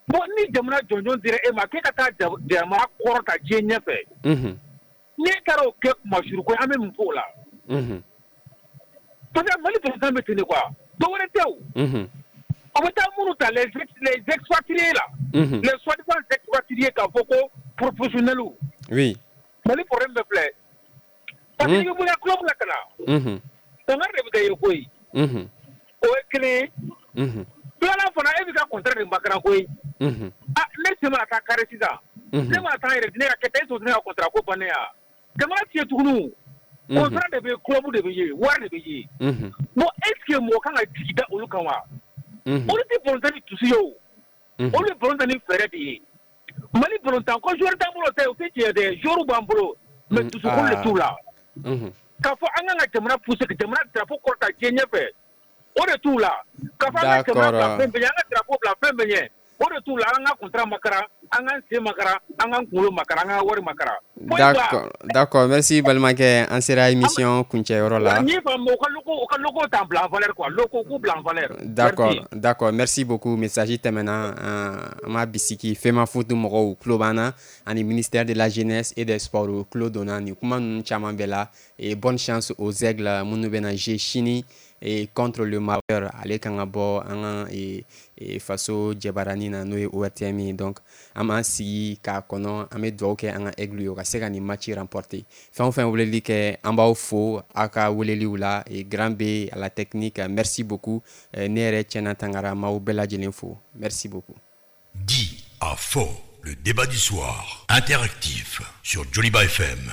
Bon, ni jamana jɔnjɔn dira e ma k'e ka taa jamana kɔrɔta diɲɛ ɲɛfɛ. Mhm. N'e taara o kɛ kumasuru ko ye, an bɛ mun fɔ o la? Mhm. Parce que Mali président bɛ ten de quoi. Dɔ wɛrɛ tɛ o. Mhm. O bɛ taa minnu ta les les expatriés la. Mhm. Les soi-disant expatriés k'a fɔ ko professionnels. Oui. Mali problème bɛ filɛ. Parce que i bɛ bɔ i ka club la ka na. Mhm. Tangari de bɛ kɛ ye koyi. Mhm. O ye kelen ye. Mhm. Filanan fana, e b'i ka contrat de makaran koyi. Mhm. Ah, ne sen mana taa kari sisan. Mhm. Ne mana taa n yɛrɛ di ne ka kɛ tan, e t'o ne ka contrat ko bannen ya. Jamana tɛ yen tuguni. Mhm. Contrat de bɛ yen, club de bɛ yen, wari de bɛ yen. Mhm. Bon, est ce que mɔgɔ kan ka jigi da olu kan wa? Mhm. Olu tɛ balontan ni dusu ye o. Mhm. Olu ye balontan ni fɛɛrɛ de ye. Mali balontan ko joueur t'an bolo tɛ, o tɛ tiɲɛ dɛ, joueur b'an bolo mais dusukun de t'u la. Mhm. K'a fɔ an kan ka jamana pousser, ka jamana drapeau kɔrɔta diɲɛ ɲɛfɛ, o de t'u la. K'a fɔ an ka jamana bila fɛn bɛɛ ɲɛ, an ka drapeau bila fɛn bɛɛ ɲɛ, o de t'u la. An ka contrat makara, an k'an sen makara, an k'an kunkolo makara, an ka wari makara. D'accord, d'accord, merci balimakɛ, an sera émission kuncɛyɔrɔ la. N y'i faamu, u ka logo, u ka logo t'an bila en valeur quoi, logo k'u bila en valeur. D'accord, d'accord, merci beaucoup. Message tɛmɛna, an m'a bisiki FEMAFOOT mɔgɔw tulo b'an na, ani ministère de la jeunesse et des sports tulo donna nin kuma ninnu caman bɛɛ la. Et bonne chance aux aigles minnu bɛna jouer sini et contre le Maroc, ale kan ka bɔ an ka faso jabaranin na, n'o ye O R T M ye. Donc an b'an sigi k'a kɔnɔ, an bɛ dugawu kɛ an ka aigle ye o ka se ka nin match remporter. Fɛn o fɛn weleli kɛ, an b'aw fo aw ka weleliw la. Et grand B à la technique, merci beaucoup. Ne yɛrɛ Tiɲɛna Tangara, m'aw bɛɛ lajɛlen fo, merci beaucoup. Dit à faux, le débat du soir, interactif sur Joliba F M.